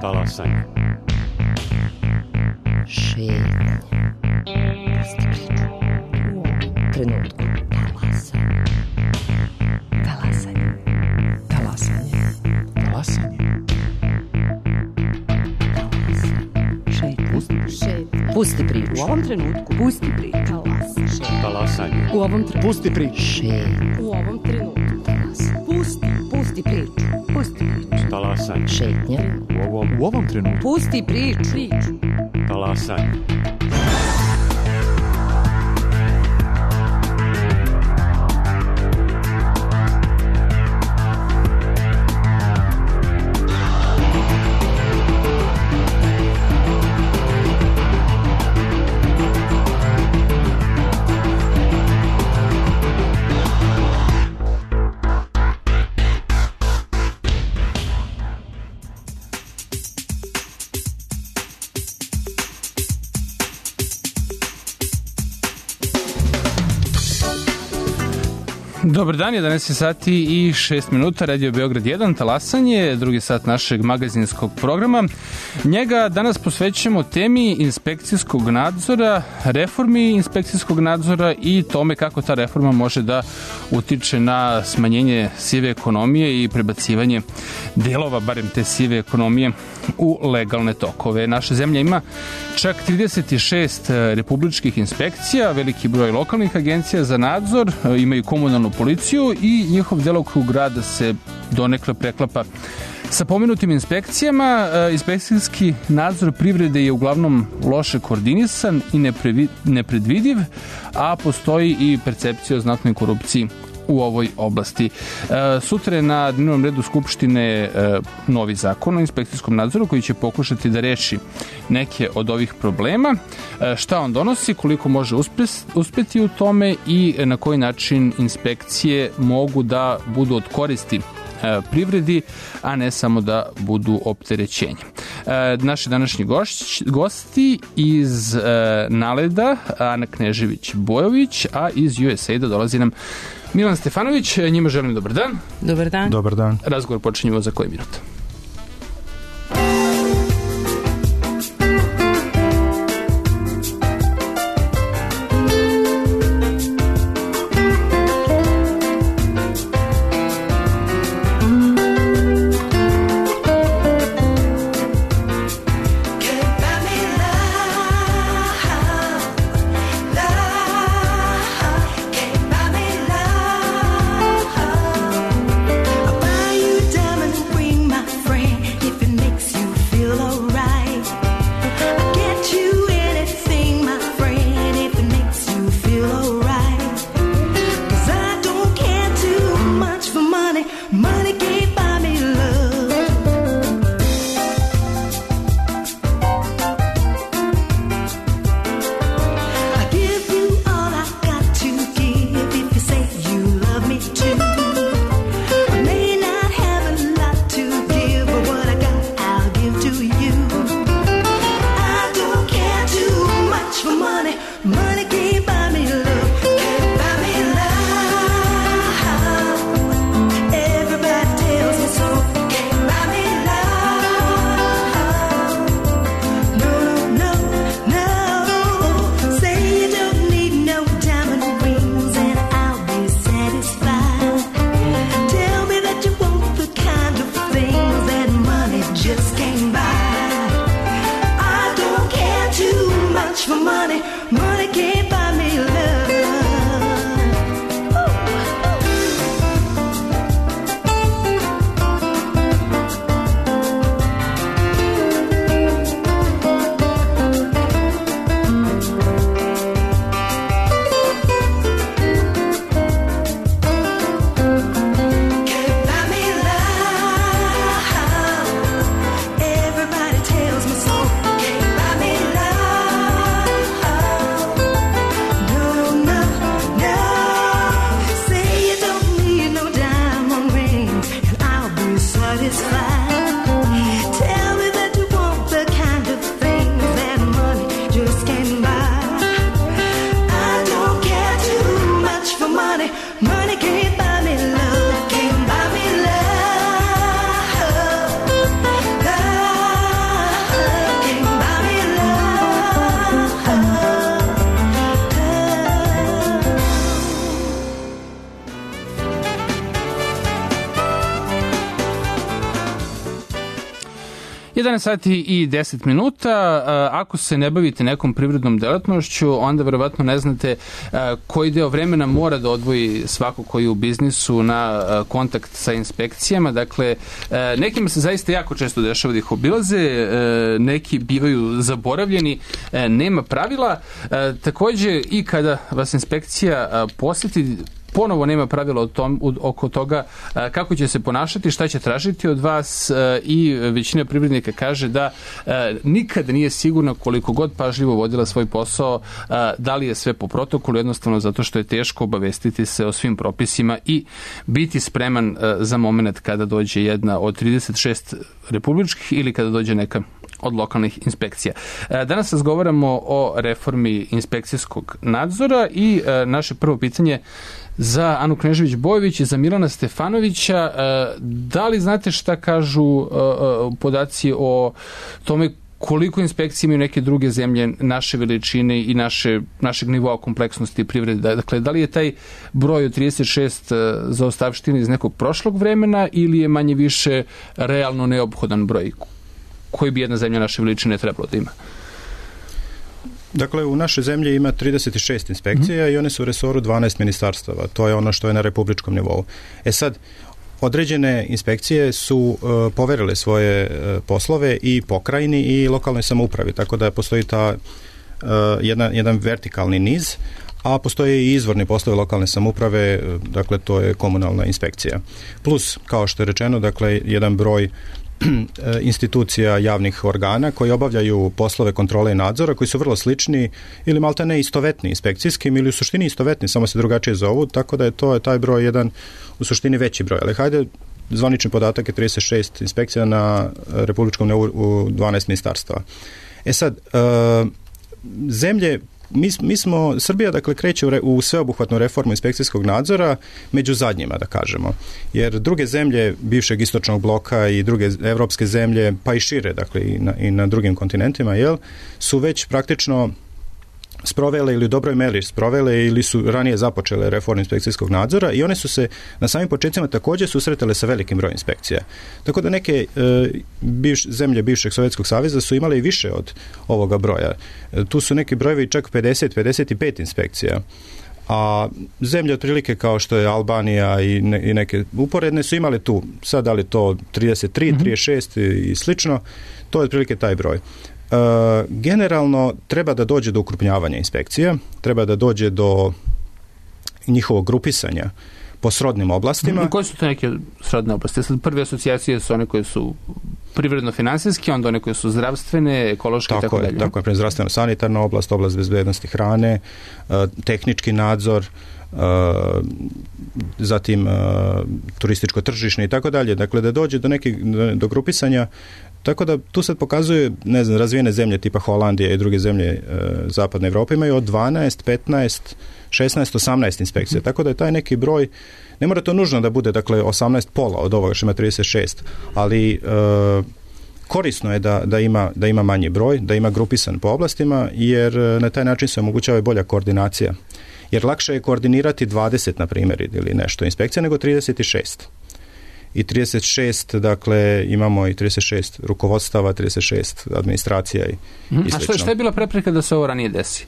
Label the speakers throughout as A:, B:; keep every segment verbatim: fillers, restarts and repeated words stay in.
A: Talasanje.
B: Šetnje. Pusti priču. U ovom trenutku. Talasanje. Talasanje. Talasanje.
C: Talasanje.
B: Šetnje. Pusti priču.
D: U ovom trenutku. Pusti priču. Talasanje.
A: Talasanje.
D: U ovom trenutku.
C: Pusti priču.
B: Šetnje.
D: U ovom trenutku.
B: Talasanje.
D: Pusti. Pusti priču. Pusti priču.
A: Talasanje.
B: Šetnje.
A: U ovom,
C: U ovom trenutku.
D: Pusti priču. Priču.
A: talasanje.
E: Dobar dan, jedanaest sati i šest minuta, Radio Beograd jedan, talasanje, drugi sat našeg magazinskog programa. Njega danas posvećujemo temi inspekcijskog nadzora, reformi inspekcijskog nadzora i tome kako ta reforma može da utiče na smanjenje sive ekonomije i prebacivanje delova, barem te sive ekonomije, u legalne tokove. Naša zemlja ima čak trideset šest republičkih inspekcija, veliki broj lokalnih agencija za nadzor, imaju komunalnu policiju i njihov delokrug rada se donekle preklapa sa pomenutim inspekcijama. Inspekcijski nadzor privrede je uglavnom loše koordinisan i nepredvidiv, a postoji i percepcija o znatnoj korupciji u ovoj oblasti. Sutra je na dnevnom redu Skupštine novi zakon o inspekcijskom nadzoru koji će pokušati da reši neke od ovih problema. Šta on donosi, koliko može uspeti u tome i na koji način inspekcije mogu da budu od koristi privredi, a ne samo da budu opterećenje. Naši današnji gošć, gosti iz Naleda, Ana Knežević-Bojović, a iz U S A I-da dolazi nam Milan Stefanović. Njima želim dobar dan.
D: Dobar dan.
C: Dobar dan.
E: Razgovor počinjemo za koji minut.
F: I'll buy you a diamond ring, my
E: jedanaest sati i deset minuta. Ako se ne bavite nekom privrednom delatnošću, onda verovatno ne znate koji deo vremena mora da odvoji svako koji je u biznisu na kontakt sa inspekcijama. Dakle, nekima se zaista jako često dešava da ih obilaze, neki bivaju zaboravljeni, nema pravila. Takođe, i kada vas inspekcija poseti, ponovo nema pravila o tom, oko toga kako će se ponašati, šta će tražiti od vas, i većina privrednika kaže da nikada nije sigurno, koliko god pažljivo vodila svoj posao, da li je sve po protokolu, jednostavno zato što je teško obavestiti se o svim propisima i biti spreman za moment kada dođe jedna od trideset šest republičkih ili kada dođe neka od lokalnih inspekcija. Danas razgovaramo o reformi inspekcijskog nadzora i naše prvo pitanje za Anu Knežević-Bojović i za Milana Stefanovića. Da li znate šta kažu podaci o tome koliko inspekcije imaju neke druge zemlje naše veličine i naše, našeg nivoa kompleksnosti privrede? Dakle, da li je taj broj od trideset šest zaostavština iz nekog prošlog vremena ili je manje više realno neophodan broj koji bi jedna zemlja naše veličine trebalo da ima?
A: Dakle, u našoj zemlji ima trideset šest inspekcija mm-hmm. i one su u resoru dvanaest ministarstava. To je ono što je na republičkom nivou. E sad, određene inspekcije su uh, poverile svoje uh, poslove i pokrajini i lokalnoj samoupravi, tako da postoji ta uh, jedan, jedan vertikalni niz, a postoje i izvorni poslovi lokalne samouprave, dakle to je komunalna inspekcija. Plus, kao što je rečeno, dakle jedan broj institucija javnih organa koji obavljaju poslove kontrole i nadzora, koji su vrlo slični ili malta ne istovetni inspekcijskim ili u suštini istovetni, samo se drugačije zovu, tako da je to taj broj jedan u suštini veći broj. Ali hajde, zvanični podatak je trideset šest inspekcija na republičkom nivou u dvanaest ministarstava. E sad, uh, zemlje Mi, mi smo, Srbija dakle kreće u, re, u sveobuhvatnu reformu inspekcijskog nadzora među zadnjima, da kažemo. Jer druge zemlje bivšeg istočnog bloka i druge evropske zemlje, pa i šire, dakle i na, i na drugim kontinentima, jel, su već praktično sprovele ili u dobroj meri sprovele ili su ranije započele reformu inspekcijskog nadzora i one su se na samim početcima također susretale sa velikim brojem inspekcija. Tako da neke e, bivš, zemlje bivšeg Sovjetskog saveza su imale i više od ovoga broja. E, tu su neki brojevi čak pedeset do pedeset pet inspekcija. A zemlje otprilike kao što je Albanija i, ne, i neke uporedne su imale tu, sad da li to trideset tri, mm-hmm. trideset šest i, i slično, to je otprilike taj broj. Uh, generalno treba da dođe do ukrupnjavanja inspekcija, treba da dođe do njihovog grupisanja po srodnim oblastima.
E: I koje su to neke srodne oblasti? Sad prve asocijacije su one koje su privredno-finansijske, onda one koje su zdravstvene, ekološke i tako dalje.
A: Tako je, zdravstveno-sanitarna oblast, oblast bezbednosti hrane, uh, tehnički nadzor, uh, zatim uh, turističko-tržišne i tako dalje. Dakle, da dođe do nekih, do, do grupisanja. Tako da tu sad pokazuje, ne znam, razvijene zemlje tipa Holandije i druge zemlje e, zapadne Evrope imaju od dvanaest, petnaest, šesnaest, osamnaest inspekcija. Mm. Tako da je taj neki broj, ne mora to nužno da bude, dakle, osamnaest pola od ovoga što ima trideset šest, ali e, korisno je da, da, ima, da ima manji broj, da ima grupisan po oblastima, jer na taj način se omogućava bolja koordinacija. Jer lakše je koordinirati dvadeset, na primjer, ili nešto inspekcija, nego trideset šest. I trideset šest, dakle, imamo i trideset šest rukovodstava, trideset šest administracija i, mm. i slično.
E: A što, što je bila prepreka da se ovo ranije desi?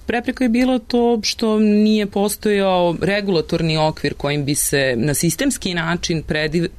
C: Prepreka je bilo to što nije postojao regulatorni okvir kojim bi se na sistemski način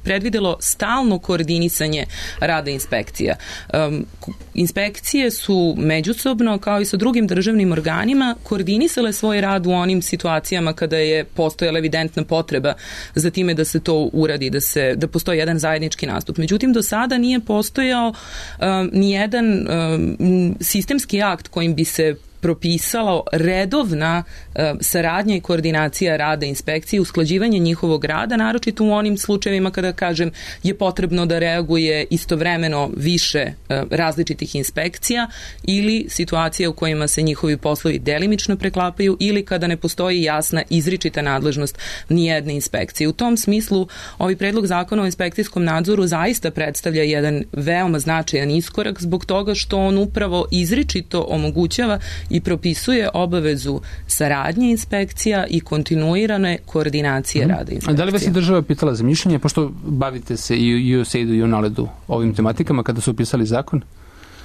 C: predvidelo stalno koordinisanje rada inspekcija. Um, inspekcije su međusobno, kao i sa drugim državnim organima, koordinisale svoj rad u onim situacijama kada je postojala evidentna potreba za time da se to uradi, da, se, da postoji jedan zajednički nastup. Međutim, do sada nije postojao um, nijedan um, sistemski akt kojim bi se propisalo redovna uh, saradnja i koordinacija rada inspekcije, usklađivanje njihovog rada, naročito u onim slučajevima kada, kažem, je potrebno da reaguje istovremeno više uh, različitih inspekcija ili situacija u kojima se njihovi poslovi delimično preklapaju ili kada ne postoji jasna izričita nadležnost nijedne inspekcije. U tom smislu, ovaj predlog zakona o inspekcijskom nadzoru zaista predstavlja jedan veoma značajan iskorak zbog toga što on upravo izričito omogućava i propisuje obavezu saradnje inspekcija i kontinuirane koordinacije mm. rada inspekcija.
E: A da li vas je država pitala za mišljenje, pošto bavite se i u U S A I D-u i u NALED-u ovim tematikama kada su upisali zakon?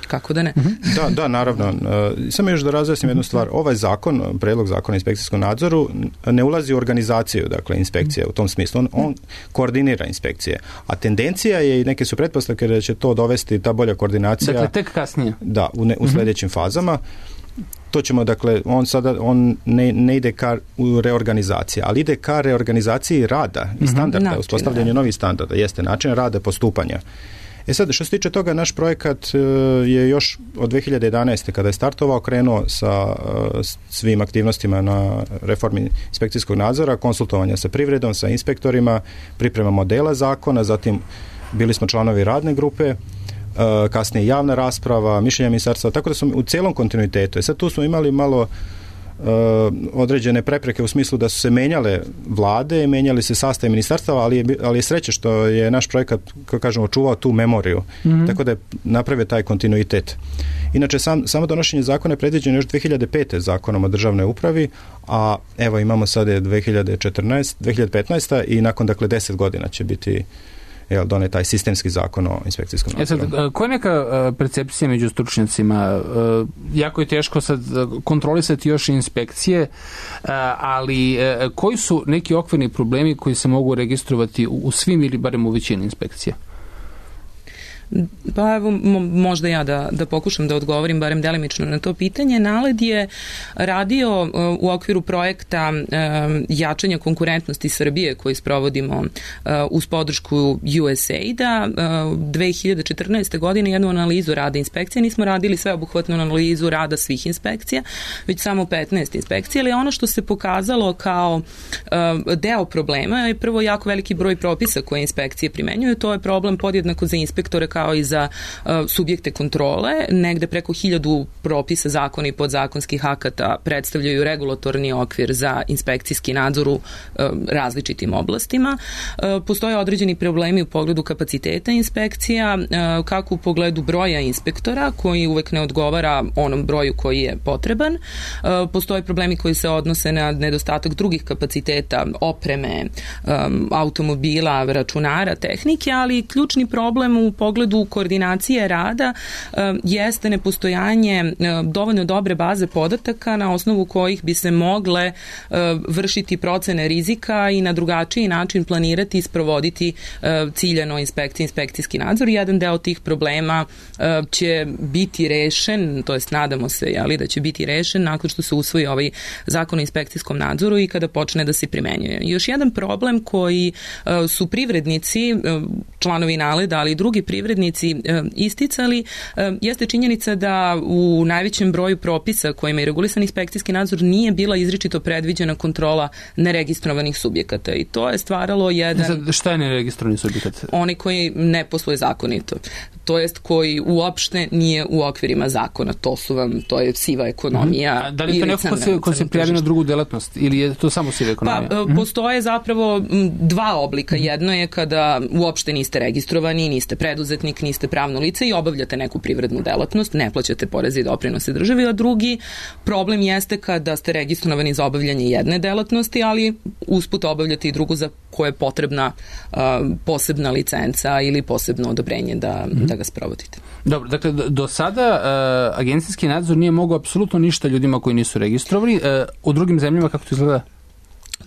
C: Kako da ne?
A: Da, da, naravno. E, samo još da razjasnim jednu stvar. Ovaj zakon, predlog zakona o inspekcijskom nadzoru, ne ulazi u organizaciju, dakle, inspekcije u tom smislu. On, on koordinira inspekcije. A tendencija je, i neke su pretpostavke da će to dovesti, ta bolja koordinacija.
E: Dakle, tek kasnije.
A: Da, u, ne, u sljedećim fazama. To ćemo, dakle, on sada on ne, ne ide ka u reorganizaciji, ali ide ka reorganizaciji rada i standarda, način, uspostavljanju novih standarda, jeste način rada, postupanja. E sad, što se tiče toga, naš projekat je još od dve hiljade jedanaeste kada je startovao, krenuo sa svim aktivnostima na reformi inspekcijskog nadzora, konsultovanja sa privredom, sa inspektorima, priprema modela zakona, zatim bili smo članovi radne grupe, kasnije javna rasprava, mišljenja ministarstva, tako da smo u cijelom kontinuitetu. E sad tu smo imali malo Uh, određene prepreke u smislu da su se menjale vlade, menjali se sastav ministarstava, ali je, ali je sreće što je naš projekat, kako kažemo, čuvao tu memoriju, mm-hmm. tako da je napravio taj kontinuitet. Inače, sam, samo donošenje zakona je predviđeno još dve hiljade pete zakonom o državnoj upravi, a evo imamo sada dve hiljade četrnaeste, dve hiljade petnaeste i nakon, dakle, deset godina će biti jel, donet taj sistemski zakon o inspekcijskom nadzoru.
E: E sad, koja je neka percepcija među stručnjacima? Jako je teško sad kontrolisati još inspekcije, ali koji su neki okvirni problemi koji se mogu registrovati u svim ili barem u većini inspekcija?
C: Pa evo, možda ja da, da pokušam da odgovorim barem delimično na to pitanje. NALED je radio u okviru projekta jačanja konkurentnosti Srbije koji sprovodimo uz podršku U S A I D-a. dve hiljade četrnaeste. godine jednu analizu rada inspekcija. Nismo radili sveobuhvatnu analizu rada svih inspekcija, već samo petnaest inspekcija, ali ono što se pokazalo kao deo problema je prvo jako veliki broj propisa koje inspekcije primenjuju. To je problem podjednako za inspektore kao i za uh, subjekte kontrole. Negde preko hiljadu propisa, zakona i podzakonskih akata predstavljaju regulatorni okvir za inspekcijski nadzor u uh, različitim oblastima. Uh, postoje određeni problemi u pogledu kapaciteta inspekcija, uh, kako u pogledu broja inspektora, koji uvek ne odgovara onom broju koji je potreban. Uh, postoje problemi koji se odnose na nedostatak drugih kapaciteta, opreme, um, automobila, računara, tehnike, ali ključni problem u pogledu koordinacije rada uh, jeste nepostojanje uh, dovoljno dobre baze podataka na osnovu kojih bi se mogle uh, vršiti procene rizika i na drugačiji način planirati i sprovoditi uh, ciljano inspekcije, inspekcijski nadzor. Jedan deo tih problema uh, će biti rešen, to jest nadamo se jeli, da će biti rešen nakon što se usvoji ovaj zakon o inspekcijskom nadzoru i kada počne da se primenjuje. Još jedan problem koji uh, su privrednici, uh, članovi NALED-a, ali i drugi privrednici isticali, jeste činjenica da u najvećem broju propisa kojima je regulisan inspekcijski nadzor nije bila izričito predviđena kontrola neregistrovanih subjekata i to je stvaralo jedan...
E: Sad, šta je neregistrovani subjekat?
C: Oni koji ne posluje zakonito. To jest koji uopšte nije u okvirima zakona. To su vam, to je siva ekonomija.
E: Mm-hmm. Da li je to neko ko se, ko se prijavi na drugu delatnost ili je to samo siva ekonomija?
C: Pa, mm-hmm. postoje zapravo dva oblika. Jedno je kada uopšte niste registrovani, niste preduzetnik, niste pravno lice i obavljate neku privrednu delatnost, ne plaćate poreze i doprinose državi, a drugi problem jeste kada ste registrovani za obavljanje jedne delatnosti, ali usput obavljate i drugu za koje je potrebna uh, posebna licenca ili posebno odobrenje da, mm-hmm. da ga sprovodite.
E: Dobro, dakle, do, do sada uh, agencijski nadzor nije mogao apsolutno ništa ljudima koji nisu registrovani. Uh, u drugim zemljama kako to izgleda?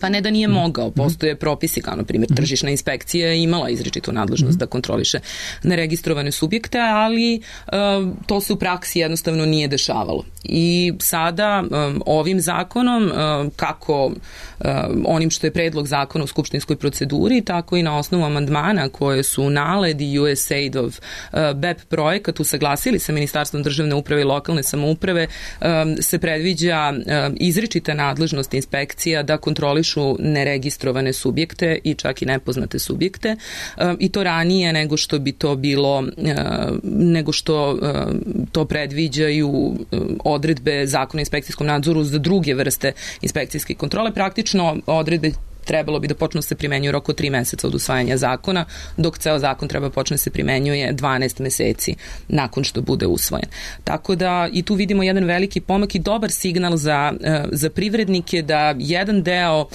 C: Pa ne da nije mogao, postoje propisi kao na primjer tržišna inspekcija je imala izričitu nadležnost da kontroliše neregistrovane subjekte, ali um, to se u praksi jednostavno nije dešavalo. I sada um, ovim zakonom, um, kako um, onim što je predlog zakona u skupštinskoj proceduri, tako i na osnovu amandmana koje su NALED i U S A I D-ov uh, B E P projekat usaglasili sa Ministarstvom državne uprave i lokalne samouprave, um, se predviđa um, izričita nadležnost inspekcija da kontrolišu neregistrovane subjekte i čak i nepoznate subjekte i to ranije nego što bi to bilo, nego što to predviđaju odredbe zakona o inspekcijskom nadzoru za druge vrste inspekcijske kontrole. Praktično odredbe trebalo bi da počnu se primenjuju roko tri meseca od usvajanja zakona, dok ceo zakon treba počne se primenjuje dvanaest meseci nakon što bude usvojen. Tako da i tu vidimo jedan veliki pomak i dobar signal za, za privrednike da jedan deo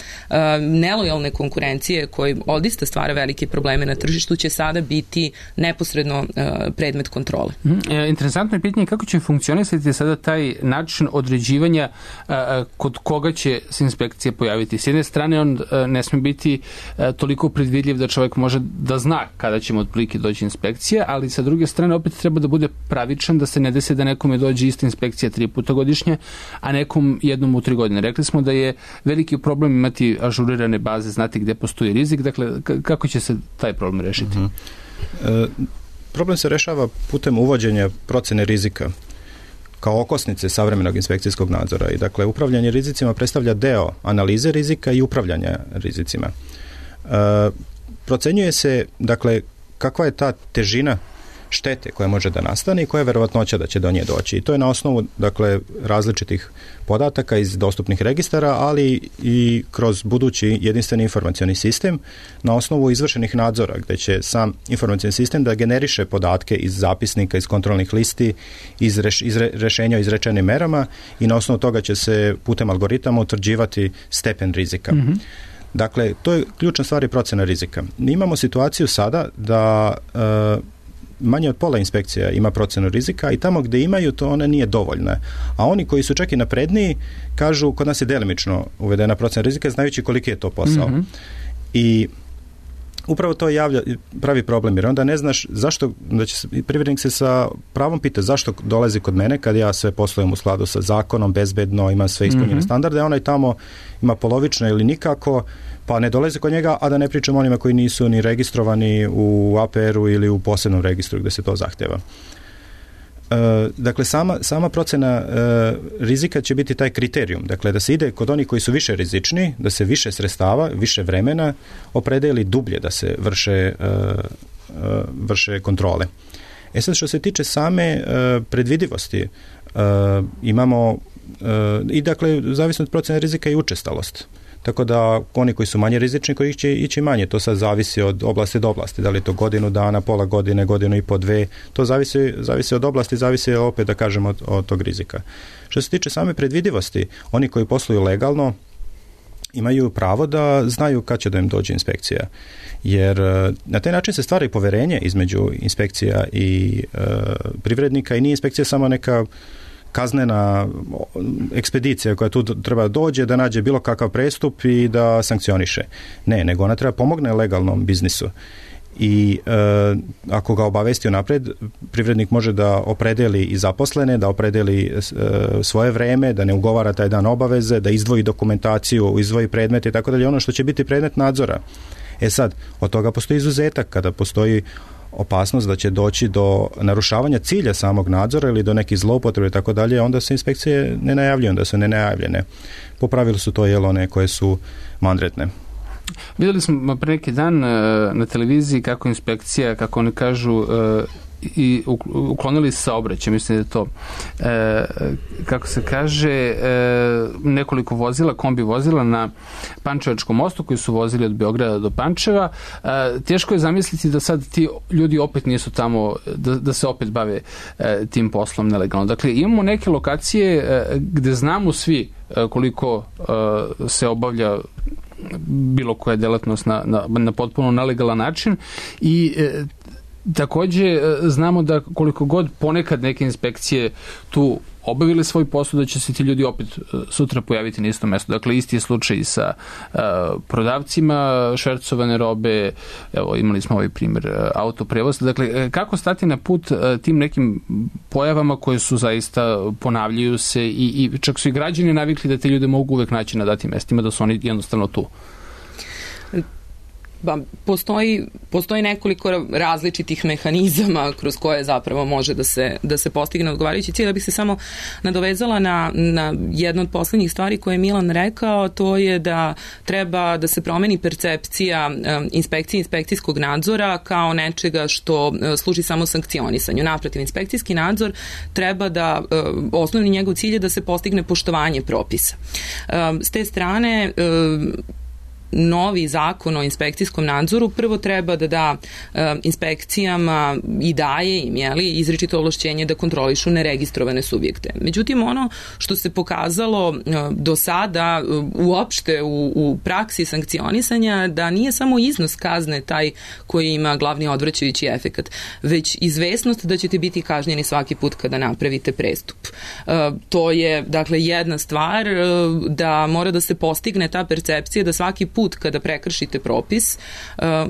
C: nelojalne konkurencije koji odista stvara velike probleme na tržištu će sada biti neposredno predmet kontrole.
E: Interesantno je pitanje kako će funkcionisati sada taj način određivanja kod koga će se inspekcija pojaviti. S jedne strane on ne sme biti toliko predvidljiv da čovjek može da zna kada će mu otprilike doći inspekcija, ali sa druge strane opet treba da bude pravičan, da se ne desi da nekome dođe ista inspekcija tri puta godišnje, a nekom jednom u tri godine. Rekli smo da je veliki problem imati ažurirane baze, znati gde postoji rizik, dakle kako će se taj problem rešiti?
A: Uh-huh. E, problem se rešava putem uvođenja procene rizika kao okosnice savremenog inspekcijskog nadzora i dakle upravljanje rizicima predstavlja deo analize rizika i upravljanja rizicima. E, procenjuje se dakle kakva je ta težina štete koja može da nastane i koja je verovatnoća da će do nje doći. I to je na osnovu dakle različitih podataka iz dostupnih registara, ali i kroz budući jedinstveni informacioni sistem na osnovu izvršenih nadzora, gde će sam informacioni sistem da generiše podatke iz zapisnika, iz kontrolnih listi, iz, reš, iz rešenja o izrečenim merama i na osnovu toga će se putem algoritama utvrđivati stepen rizika. Mm-hmm. Dakle, to je ključna stvar i procena rizika. Mi imamo situaciju sada da uh, manje od pola inspekcija ima procenu rizika i tamo gde imaju to ona nije dovoljna. A oni koji su čak i napredniji kažu kod nas je delimično uvedena procena rizika znajući koliki je to posao. Mm-hmm. I upravo to javlja, pravi problem jer onda ne znaš zašto, da će privrednik se sa pravom pita zašto dolazi kod mene kad ja sve poslujem u skladu sa zakonom, bezbedno, imam sve ispunjene mm-hmm. standarde, onaj tamo ima polovično ili nikako, pa ne dolaze kod njega, a da ne pričamo onima koji nisu ni registrovani u A P R-u ili u posebnom registru gde se to zahteva. E, dakle, sama, sama procena e, rizika će biti taj kriterijum. Dakle, da se ide kod onih koji su više rizični, da se više sredstava, više vremena opredeli dublje da se vrše, e, e, vrše kontrole. E sad, što se tiče same e, predvidivosti, e, imamo e, i dakle, zavisno od procene rizika i učestalost. Tako da oni koji su manje rizični, koji će ići manje, to sad zavisi od oblasti do oblasti, da li je to godinu dana, pola godine, godinu i po dve, to zavisi, zavisi od oblasti, zavisi opet da kažem od, od tog rizika. Što se tiče same predvidivosti, oni koji posluju legalno imaju pravo da znaju kad će da im dođe inspekcija, jer na taj način se stvara i poverenje između inspekcija i e, privrednika i nije inspekcija samo neka kaznena ekspedicija koja tu treba dođe da nađe bilo kakav prestup i da sankcioniše. Ne, nego ona treba pomogne legalnom biznisu. I e, ako ga obavesti unapred, privrednik može da opredeli i zaposlene, da opredeli e, svoje vreme, da ne ugovara taj dan obaveze, da izdvoji dokumentaciju, izdvoji predmete i tako dalje, ono što će biti predmet nadzora. E sad, od toga postoji izuzetak kada postoji opasnost da će doći do narušavanja cilja samog nadzora ili do nekih zloupotrebe i tako dalje, onda se inspekcije ne najavljuju, onda su ne najavljene. Po pravilu su to jel one koje su mandretne.
E: Vidjeli smo pre neki dan na televiziji kako inspekcija, kako oni kažu, i uklonili saobraćaj, mislim da je to e, kako se kaže e, nekoliko vozila, kombi vozila na Pančevačkom mostu koji su vozili od Beograda do Pančeva. E, teško je zamisliti da sad ti ljudi opet nisu tamo, da, da se opet bave e, tim poslom nelegalno. Dakle, imamo neke lokacije e, gde znamo svi e, koliko e, se obavlja bilo koja delatnost na, na, na potpuno nelegalan način i e, takođe znamo da koliko god ponekad neke inspekcije tu obavile svoj posao, da će se ti ljudi opet sutra pojaviti na istom mestu. Dakle, isti je slučaj i sa uh, prodavcima švercovane robe, evo imali smo ovaj primjer uh, autoprevoza. Dakle, kako stati na put uh, tim nekim pojavama koje su zaista ponavljaju se i, i čak su i građani navikli da te ljude mogu uvek naći na datim mestima, da su oni jednostavno tu.
C: Ba, postoji, postoji nekoliko različitih mehanizama kroz koje zapravo može da se, da se postigne odgovarajući cilj. Da bih se samo nadovezala na, na jednu od poslednjih stvari koje je Milan rekao, to je da treba da se promeni percepcija um, inspekcije inspekcijskog nadzora kao nečega što uh, služi samo sankcionisanju. Naprotiv, inspekcijski nadzor treba da, uh, osnovni njegov cilj je da se postigne poštovanje propisa. Um, s te strane, uh, novi zakon o inspekcijskom nadzoru prvo treba da da e, inspekcijama i daje im, jeli, izričito ovlašćenje da kontrolišu neregistrovane subjekte. Međutim, ono što se pokazalo e, do sada e, uopšte u, u praksi sankcionisanja, da nije samo iznos kazne taj koji ima glavni odvraćajući efekat, već izvesnost da ćete biti kažnjeni svaki put kada napravite prestup. E, to je, dakle, jedna stvar, e, da mora da se postigne ta percepcija da svaki put kada prekršite propis, e,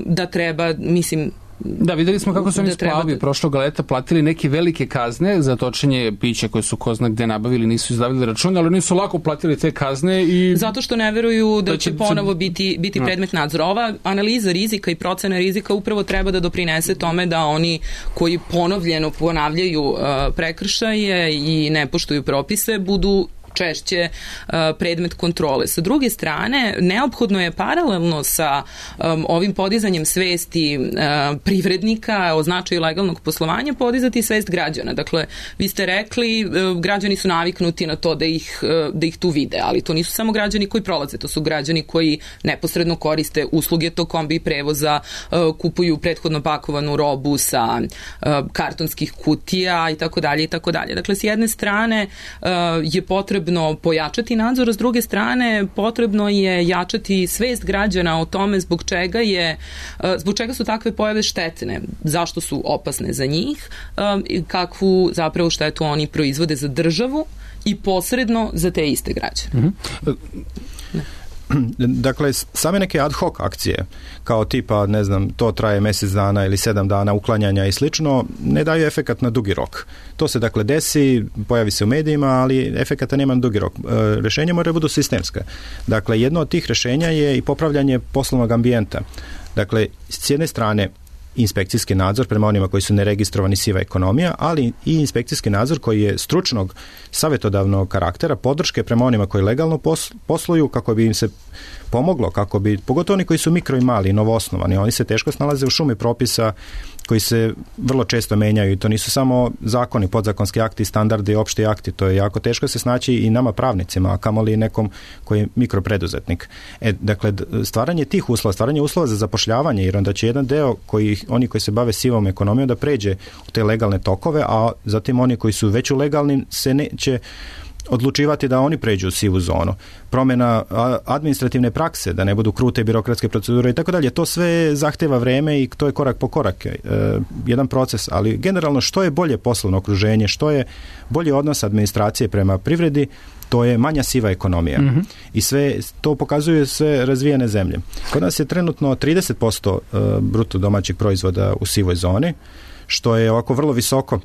C: da treba, mislim,
E: Da, videli smo kako su oni
C: da
E: splavi
C: da...
E: prošlog leta platili neke velike kazne za točenje pića koje su ko zna gde nabavili, nisu izdavili račun, ali oni su lako platili te kazne i...
C: Zato što ne veruju da, da će, će ponovo biti, biti predmet nadzora. Ova analiza rizika i procena rizika upravo treba da doprinese tome da oni koji ponovljeno ponavljaju uh, prekršaje i ne poštuju propise budu češće uh, predmet kontrole. Sa druge strane, neophodno je paralelno sa um, ovim podizanjem svesti uh, privrednika o značaju legalnog poslovanja podizati svest građana. Dakle, vi ste rekli, uh, građani su naviknuti na to da ih, uh, da ih tu vide, ali to nisu samo građani koji prolaze, to su građani koji neposredno koriste usluge tog kombi prevoza, uh, kupuju prethodno pakovanu robu sa uh, kartonskih kutija i tako dalje i tako dalje. Dakle, s jedne strane uh, je potrebno pojačati nadzor, a s druge strane potrebno je jačati svest građana o tome zbog čega je, zbog čega su takve pojave štetne, zašto su opasne za njih, kakvu zapravo štetu oni proizvode za državu i posredno za te iste građane.
E: Mm-hmm.
C: Ne.
A: Dakle, same neke ad hoc akcije, kao tipa, ne znam, to traje mjesec dana ili sedam dana uklanjanja i slično, ne daju efekat na dugi rok. To se dakle desi, pojavi se u medijima, ali efekata nema na dugi rok. E, rješenja moraju budu sistemska. Dakle, jedno od tih rješenja je i popravljanje poslovnog ambijenta. Dakle, s jedne strane, inspekcijski nadzor prema onima koji su neregistrovani, siva ekonomija, ali i inspekcijski nadzor koji je stručnog savjetodavnog karaktera, podrške prema onima koji legalno posluju, kako bi im se pomoglo, kako bi, pogotovo oni koji su mikro i mali, novoosnovani, oni se teško snalaze u šumi propisa koji se vrlo često menjaju i to nisu samo zakoni, podzakonski akti, standardi, opšti akti, to je jako teško se snaći i nama pravnicima, a kamoli nekom koji je mikropreduzetnik. E, dakle, stvaranje tih uslova, stvaranje uslova za zapošljavanje, jer onda će jedan deo koji, oni koji se bave sivom ekonomijom da pređe u te legalne tokove, a zatim oni koji su već u legalnim se neće odlučivati da oni pređu u sivu zonu. Promjena administrativne prakse, da ne budu krute birokratske procedure i tako dalje. To sve zahteva vreme i to je korak po korak. E, jedan proces, ali generalno što je bolje poslovno okruženje, što je bolji odnos administracije prema privredi, to je manja siva ekonomija. Mm-hmm. I sve to pokazuju sve razvijene zemlje. Kod nas je trenutno trideset posto bruto domaćeg proizvoda u sivoj zoni, što je ovako vrlo visoko.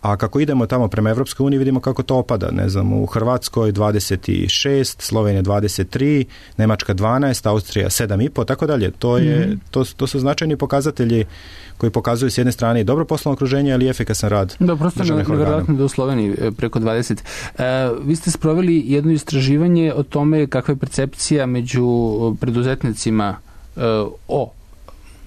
A: A kako idemo tamo prema Evropskoj uniji, vidimo kako to opada. Ne znam, u Hrvatskoj dvadeset šest, Slovenija dvadeset tri, Nemačka dvanaest, Austrija sedam i po, tako dalje. To je, mm-hmm. to, to su značajni pokazatelji koji pokazuju s jedne strane i dobro poslovno okruženje, ali i efikasan rad.
E: Da, prosto nevjerojatno da u Sloveniji preko dvadeset. E, vi ste sproveli jedno istraživanje o tome kakva je percepcija među preduzetnicima e, o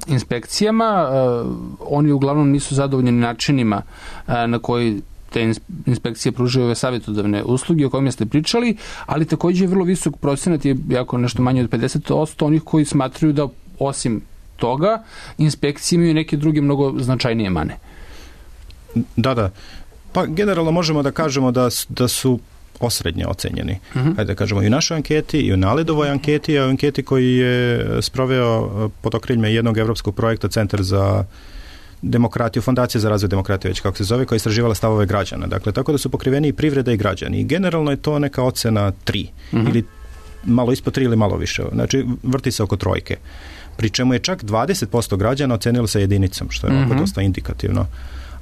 E: inspekcijama. Uh, oni uglavnom nisu zadovoljni načinima uh, na koji te inspekcije pružaju ove savjetodavne usluge o kojima ste pričali, ali također je vrlo visok procenat, je jako nešto manje od pedeset posto onih koji smatraju da osim toga inspekcije imaju neke druge mnogo značajnije mane.
A: Da, da. Pa generalno možemo da kažemo da, da su osrednje ocenjeni. Uh-huh. Hajde da kažemo i u našoj anketi, i u Naledovoj anketi, a u anketi koji je sproveo pod okriljem jednog evropskog projekta Centar za demokratiju, Fondacija za razvoj demokratije, već kako se zove, koja je istraživala stavove građana. Dakle, tako da su pokriveni i privreda i građani. I generalno je to neka ocena tri. Uh-huh. Ili malo ispod tri ili malo više. Znači, vrti se oko trojke. Pri čemu je čak dvadeset posto građana ocenilo sa jedinicom, što je uh-huh. ovako dosta indikativno.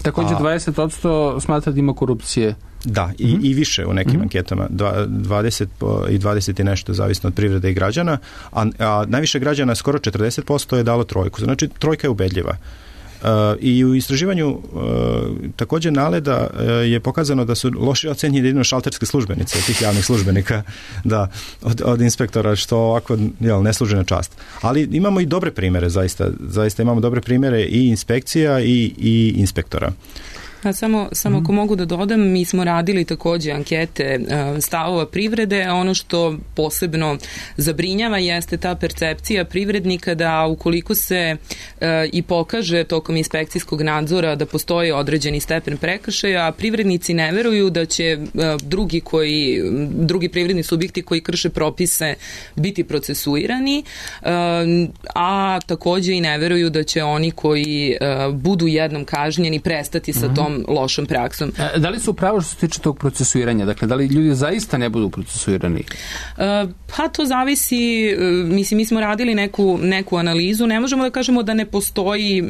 E: Također dvadeset posto smatra da ima korupcije.
A: Da, i, mm-hmm. i više u nekim mm-hmm. anketama, dvadeset i dvadeset i nešto, zavisno od privrede i građana, a, a najviše građana, skoro četrdeset posto je dalo trojku. Znači, trojka je ubedljiva. Uh, I u istraživanju uh, također Naleda uh, je pokazano da su loše ocenjeni jedino šalterske službenice, tih javnih službenika, da, od, od inspektora, što ovako jel, ne služi na čast. Ali imamo i dobre primjere, zaista, zaista imamo dobre primjere i inspekcija i, i inspektora.
C: A samo, samo mm. ako mogu da dodam, mi smo radili takođe ankete stavova privrede. Ono što posebno zabrinjava jeste ta percepcija privrednika da ukoliko se e, i pokaže tokom inspekcijskog nadzora da postoji određeni stepen prekršaja, a privrednici ne veruju da će e, drugi koji drugi privredni subjekti koji krše propise biti procesuirani, e, a takođe i ne veruju da će oni koji e, budu jednom kažnjeni prestati sa mm-hmm. tom lošom praksom.
E: E, da li su pravo što se tiče tog procesuiranja? Dakle, da li ljudi zaista ne budu procesuirani?
C: E, pa to zavisi, e, mislim, mi smo radili neku, neku analizu, ne možemo da kažemo da ne postoji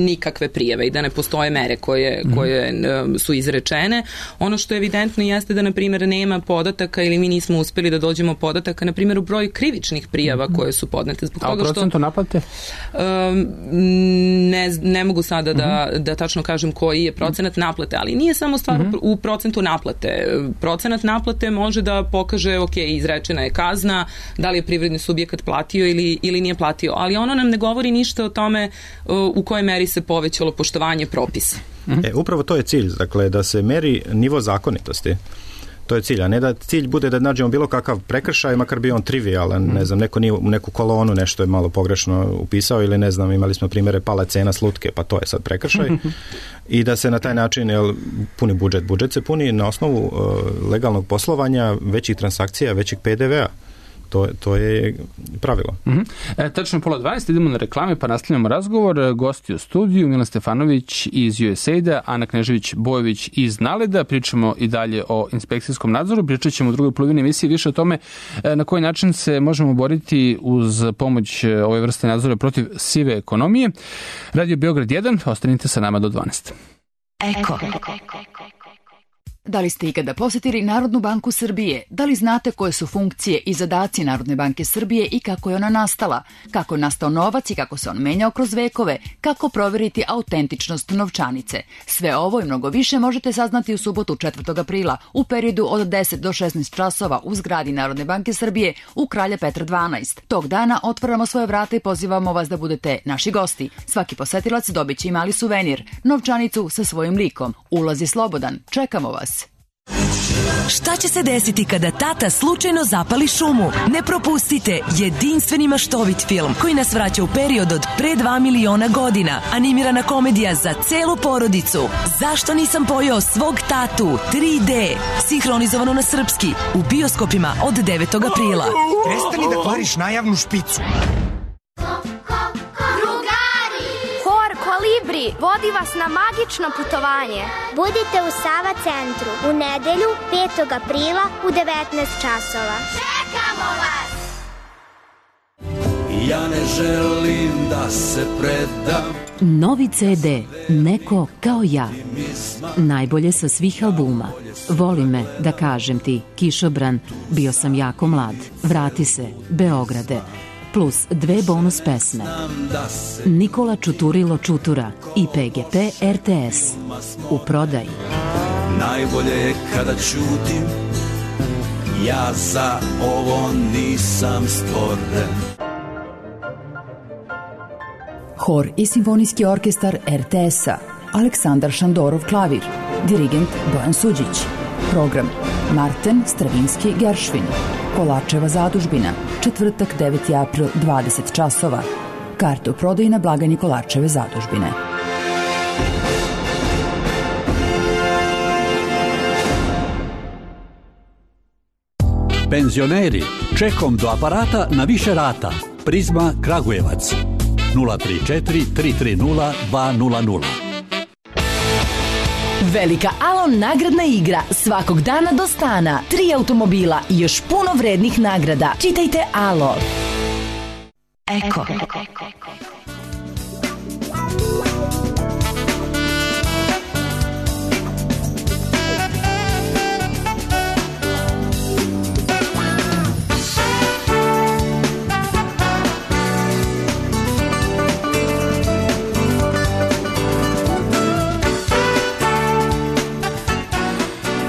C: nikakve prijave i da ne postoje mere koje, mm. koje e, su izrečene. Ono što je evidentno jeste da, na primjer, nema podataka ili mi nismo uspeli da dođemo podataka, na primjer, u broju krivičnih prijava mm. koje su podnete. Zbog
E: A
C: toga
E: u procentu
C: što,
E: naplate?
C: E, ne, ne mogu sada mm. da, da tačno kažem koji je procenat naplate, ali nije samo stvar mm-hmm. u procentu naplate. Procenat naplate može da pokaže, ok, izrečena je kazna, da li je privredni subjekat platio ili, ili nije platio, ali ono nam ne govori ništa o tome u kojoj meri se povećalo poštovanje propisa.
A: Mm-hmm. E, upravo to je cilj, dakle, da se meri nivo zakonitosti. To je cilj, a ne da cilj bude da nađemo bilo kakav prekršaj, makar bi on trivialan, mm. ne znam, neko nije u neku kolonu nešto je malo pogrešno upisao ili ne znam, imali smo primjere pala cena slutke, pa to je sad prekršaj i da se na taj način jel, puni budžet. Budžet se puni na osnovu uh, legalnog poslovanja, većih transakcija, većih pe de ve a. To, to je pravilo.
E: Mm-hmm. E, tačno pola dvanaest, idemo na reklame pa nastavljamo razgovor. Gosti u studiju, Milan Stefanović iz U S A I D-a, Ana Knežević-Bojović iz Naleda. Pričamo i dalje o inspekcijskom nadzoru. Pričat ćemo u drugoj polovini emisije više o tome e, na koji način se možemo boriti uz pomoć ove vrste nadzora protiv sive ekonomije. Radio Beograd jedan, ostanite sa nama do dvanaest.
F: Eko. Da li ste ikada posjetili Narodnu banku Srbije? Da li znate koje su funkcije i zadaci Narodne banke Srbije i kako je ona nastala? Kako je nastao novac i kako se on menjao kroz vekove? Kako proveriti autentičnost novčanice? Sve ovo i mnogo više možete saznati u subotu četvrtog aprila u periodu od deset do šesnaest časova u zgradi Narodne banke Srbije u Kralja Petra dvanaest. Tog dana otvaramo svoje vrata i pozivamo vas da budete naši gosti. Svaki posetilac dobit će i mali suvenir, novčanicu sa svojim likom. Ulaz je slobodan. Čekamo vas.
G: Šta će se desiti kada tata slučajno zapali šumu? Ne propustite jedinstveni maštovit film koji nas vraća u period od pre dva miliona godina. Animirana komedija za celu porodicu. Zašto nisam pojeo svog tatu? tri de. Sinhronizovano na srpski. U bioskopima od devetog aprila.
H: Prestani da kvariš najavnu špicu.
I: Kolibri vodi vas na magično putovanje.
J: Budite u Sava centru u nedelju petog aprila u devetnaest časova.
I: Čekamo vas!
K: Ja ne želim da se predam.
B: Novi ce de Neko kao ja. Najbolje sa svih albuma. Voli me, da kažem ti, Kišobran, bio sam jako mlad. Vrati se, Beograde. Plus dve bonus pesme. Nikola Čuturilo Čutura i pe ge pe er te es. U prodaji.
K: Najbolje je kada ćutim, ja za ovo nisam stvoren.
F: Hor i simfonijski orkestar er te es-a. Aleksandar Šandorov klavir. Dirigent Bojan Suđić. Program Marten Stravinski Geršvin. Kolarčeva zadužbina. Četvrtak deveti april dvadeset časova. Karte u prodaji na blagajni Kolarčeve zadužbine.
L: Penzioneri, čekom do aparata na više rata. Prizma Kragujevac. nula tri četiri tri tri nula dva nula nula.
G: Velika Alon nagradna igra svakog dana do stana. Tri automobila i još puno vrednih nagrada. Čitajte Alo. Eko.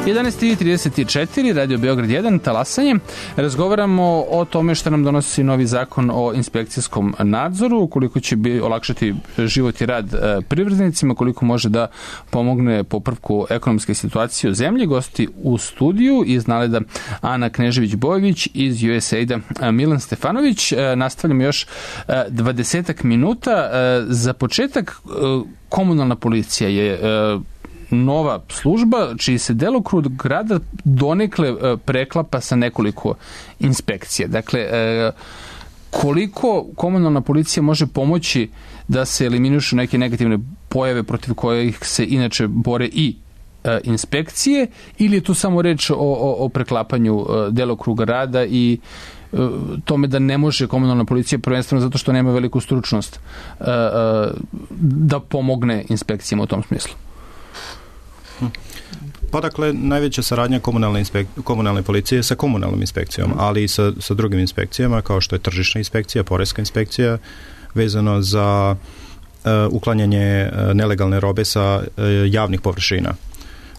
E: jedanaest i trideset četiri, Radio Beograd jedan, talasanje. Razgovaramo o tome što nam donosi novi zakon o inspekcijskom nadzoru, koliko će bi olakšati život i rad privrednicima, koliko može da pomogne popravku ekonomske situacije u zemlji. Gosti u studiju iz Naleda Ana Knežević-Bojević, iz U S A I D-a Milan Stefanović. Nastavljamo još dvadesetak minuta. Za početak, komunalna policija je nova služba čiji se delokrug rada donekle preklapa sa nekoliko inspekcija. Dakle, koliko komunalna policija može pomoći da se eliminišu neke negativne pojave protiv kojih se inače bore i inspekcije, ili je tu samo reč o, o, o preklapanju delokruga rada i tome da ne može komunalna policija, prvenstveno zato što nema veliku stručnost, da pomogne inspekcijama u tom smislu?
A: Pa dakle, najveća saradnja komunalne, inspek... komunalne policije sa komunalnom inspekcijom, ali i sa, sa drugim inspekcijama, kao što je tržišna inspekcija, poreska inspekcija, vezano za uh, uklanjanje uh, nelegalne robe sa uh, javnih površina.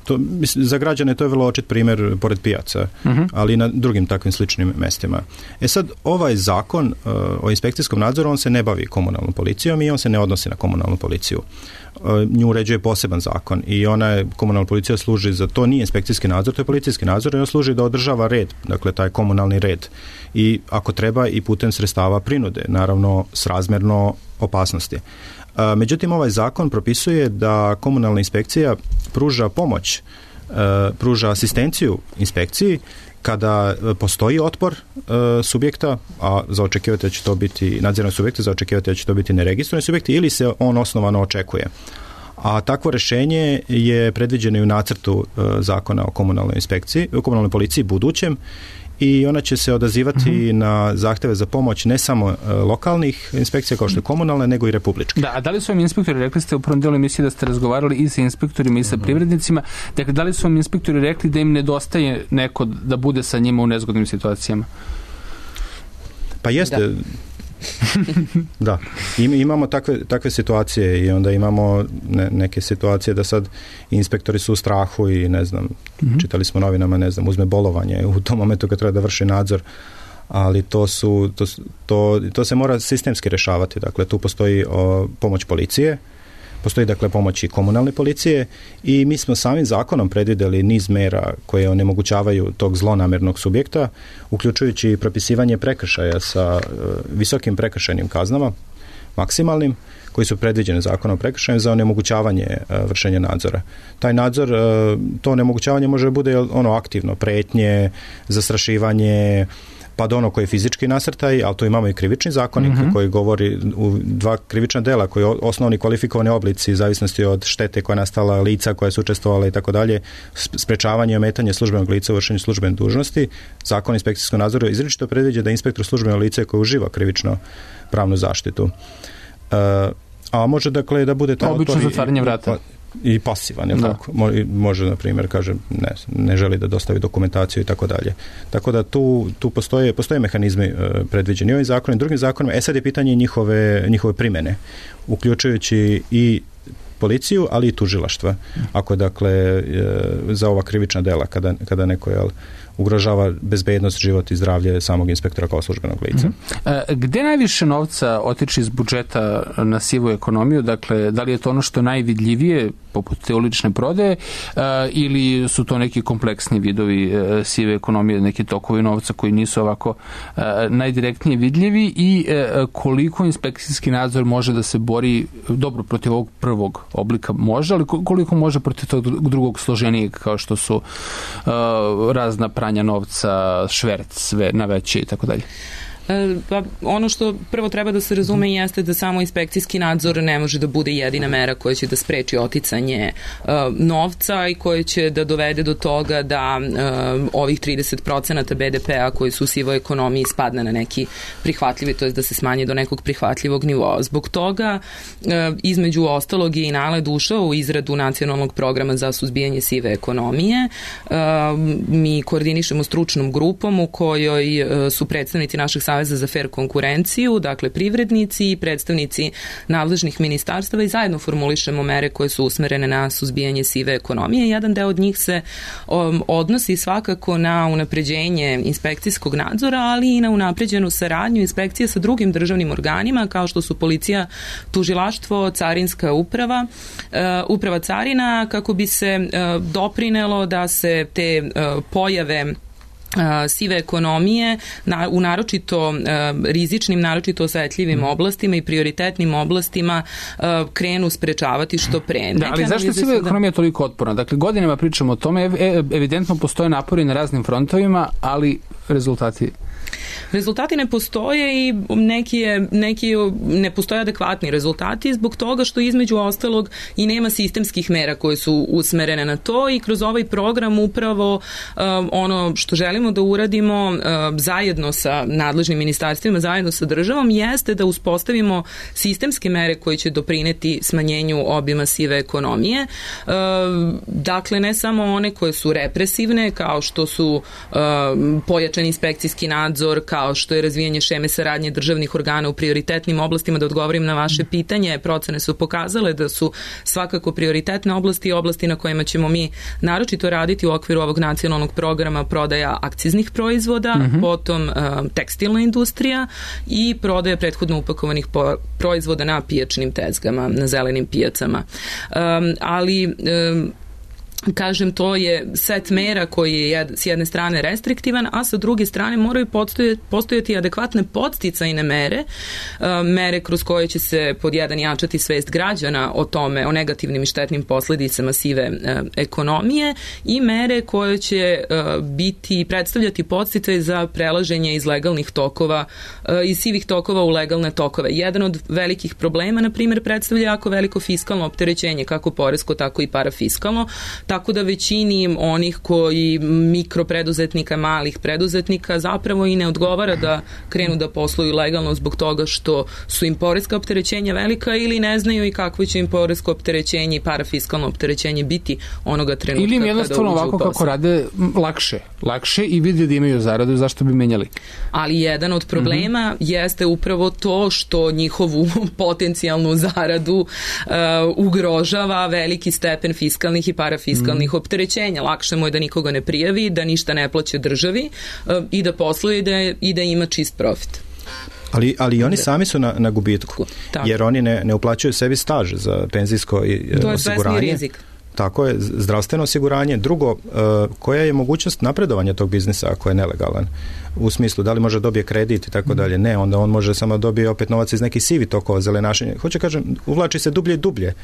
A: To, za građane to je vrlo očit primjer pored pijaca, uh-huh. ali i na drugim takvim sličnim mestima. E sad, ovaj zakon uh, o inspekcijskom nadzoru, on se ne bavi komunalnom policijom i on se ne odnosi na komunalnu policiju. Uh, nju uređuje poseban zakon i ona je, komunalna policija služi za to, nije inspekcijski nadzor, to je policijski nadzor i on služi da održava red, dakle taj komunalni red. I ako treba i putem sredstava prinude, naravno srazmjerno opasnosti. Međutim, ovaj zakon propisuje da komunalna inspekcija pruža pomoć, pruža asistenciju inspekciji kada postoji otpor subjekta, a za očekivati da će to biti nadzorni subjekti, za očekivati da će to biti neregistrovani subjekti, ili se on osnovano očekuje. A takvo rješenje je predviđeno i u nacrtu zakona o komunalnoj inspekciji, o komunalnoj policiji budućem, i ona će se odazivati mm-hmm. na zahteve za pomoć ne samo uh, lokalnih inspekcija kao što je komunalne, nego i republičke.
E: Da, a da li su vam inspektori, rekli ste u prvom delu emisije da ste razgovarali i sa inspektorima i sa mm-hmm. privrednicima, dakle, da li su vam inspektori rekli da im nedostaje neko da bude sa njima u nezgodnim situacijama?
A: Pa jeste... Da. Da, imamo takve, takve situacije i onda imamo ne, neke situacije da sad inspektori su u strahu i ne znam, mm-hmm. čitali smo novinama, ne znam, uzme bolovanje u tom momentu kad treba da vrši nadzor, ali to su to, to, to se mora sistemski rješavati, dakle tu postoji o, pomoć policije, postoji dakle pomoć i komunalne policije i mi smo samim zakonom predvidjeli niz mera koje onemogućavaju tog zlonamjernog subjekta, uključujući propisivanje prekršaja sa uh, visokim prekršajnim kaznama, maksimalnim, koji su predviđeni zakonom o prekršaju za onemogućavanje uh, vršenja nadzora. Taj nadzor, uh, to onemogućavanje može bude ono aktivno, pretnje, zastrašivanje, pa do ono koji je fizički nasrtaj, ali tu imamo i krivični zakonik mm-hmm. koji govori u dva krivična dela, koji je osnovni kvalifikovani oblici, zavisnosti od štete koja je nastala, lica koja su učestvovala i tako dalje, sprečavanje i ometanje službenog lica u vršenju službene dužnosti. Zakon o inspekcijskom nadzoru izričito predviđa da inspektor službeno lice koje uživa krivično pravnu zaštitu. Uh, a može dakle da bude to
E: obično zatvaranje vrata.
A: I pasivan, je li tako? Može, na primjer, kaže, ne, ne želi da dostavi dokumentaciju i tako dalje. Tako da tu, tu postoje, postoje mehanizmi uh, predviđeni ovim zakonom i drugim zakonima. E sad je pitanje njihove, njihove primjene, uključujući i policiju, ali i tužilaštva. Ako je, dakle, za ova krivična dela, kada, kada neko, jel, ugrožava bezbednost, život i zdravlje samog inspektora kao službenog lica.
E: Mm-hmm. E, gde najviše novca otiče iz budžeta na sivu ekonomiju? Dakle, da li je to ono što je najvidljivije, poput te ulične prodaje, e, ili su to neki kompleksni vidovi e, sive ekonomije, neki tokovi novca koji nisu ovako e, najdirektnije vidljivi i e, koliko inspekcijski nadzor može da se bori dobro protiv ovog prvog oblika može, ali koliko može protiv tog drugog složenijeg kao što su e, razna pranja novca, šverc, sve na veće i tako dalje.
C: Pa ono što prvo treba da se razume jeste da samo inspekcijski nadzor ne može da bude jedina mera koja će da spreči oticanje uh, novca i koja će da dovede do toga da uh, ovih trideset procenata be de pea koji su u sivoj ekonomiji spadne na neki prihvatljivi, to je da se smanje do nekog prihvatljivog nivoa. Zbog toga uh, između ostalog je i Naled ušao u izradu nacionalnog programa za suzbijanje sive ekonomije. Uh, mi koordinišemo stručnom grupom u kojoj uh, su predstavnici naših savjeta Saveza za fer konkurenciju, dakle privrednici i predstavnici nadležnih ministarstava i zajedno formulišemo mere koje su usmerene na suzbijanje sive ekonomije. Jedan deo od njih se um, odnosi svakako na unapređenje inspekcijskog nadzora, ali i na unapređenu saradnju inspekcije sa drugim državnim organima kao što su policija, tužilaštvo, carinska uprava, uh, uprava carina, kako bi se uh, doprinelo da se te uh, pojave sive ekonomije na, u naročito uh, rizičnim, naročito osetljivim oblastima i prioritetnim oblastima uh, krenu sprečavati što pre.
E: Da, ali zašto je siva ekonomija toliko otporna? Dakle, godinama pričamo o tome, ev, evidentno postoje napori na raznim frontovima, ali rezultati...
C: Rezultati ne postoje i neki, je, neki ne postoje adekvatni rezultati zbog toga što između ostalog i nema sistemskih mera koje su usmerene na to i kroz ovaj program upravo um, ono što želimo da uradimo um, zajedno sa nadležnim ministarstvima, zajedno sa državom jeste da uspostavimo sistemske mere koje će doprineti smanjenju obima sive ekonomije. Um, dakle, ne samo one koje su represivne kao što su um, pojačan inspekcijski nadzor, kao što je razvijanje šeme saradnje državnih organa u prioritetnim oblastima. Da odgovorim na vaše pitanje, procene su pokazale da su svakako prioritetne oblasti i oblasti na kojima ćemo mi naročito raditi u okviru ovog nacionalnog programa prodaja akciznih proizvoda, mm-hmm. potom uh, tekstilna industrija i prodaja prethodno upakovanih po- proizvoda na pijačnim tezgama, na zelenim pijacama. Um, ali um, kažem, to je set mera koji je s jedne strane restriktivan, a sa druge strane moraju postojati adekvatne podsticajne mere, mere kroz koje će se pod jedan jačati svest građana o tome, o negativnim i štetnim posledicama sive ekonomije i mere koje će biti, predstavljati podsticaj za prelaženje iz legalnih tokova, iz sivih tokova u legalne tokove. Jedan od velikih problema, na primjer, predstavlja jako veliko fiskalno opterećenje, kako poresko, tako i parafiskalno, tako da većini onih koji mikropreduzetnika, malih preduzetnika zapravo i ne odgovara da krenu da posluju legalno zbog toga što su im poreska opterećenja velika ili ne znaju i kakvo će im poresko opterećenje i parafiskalno opterećenje biti onoga trenutka
E: ili im
C: kada uđu u posao.
E: Ili im jednostavno ovako kako rade lakše, lakše i vidi da imaju zaradu, zašto bi menjali?
C: Ali jedan od problema mm-hmm. jeste upravo to što njihovu potencijalnu zaradu uh, ugrožava veliki stepen fiskalnih i parafiskalnih mm. opterećenja. Lakše mu je da nikoga ne prijavi, da ništa ne plaće državi uh, i da posluje i da, i da ima čist profit.
A: Ali, ali oni sami su na, na gubitku,
C: tako.
A: Jer oni ne, ne uplaćuju sebi staž za penzijsko i
C: to
A: osiguranje.
C: To je rizik.
A: Tako je, zdravstveno osiguranje. Drugo, uh, koja je mogućnost napredovanja tog biznisa ako je nelegalan? U smislu, da li može dobije kredit i tako dalje? Ne, onda on može samo dobije opet novac iz nekih sivi tokova, zelenašenja. Hoće kažem, uvlači se dublje i dublje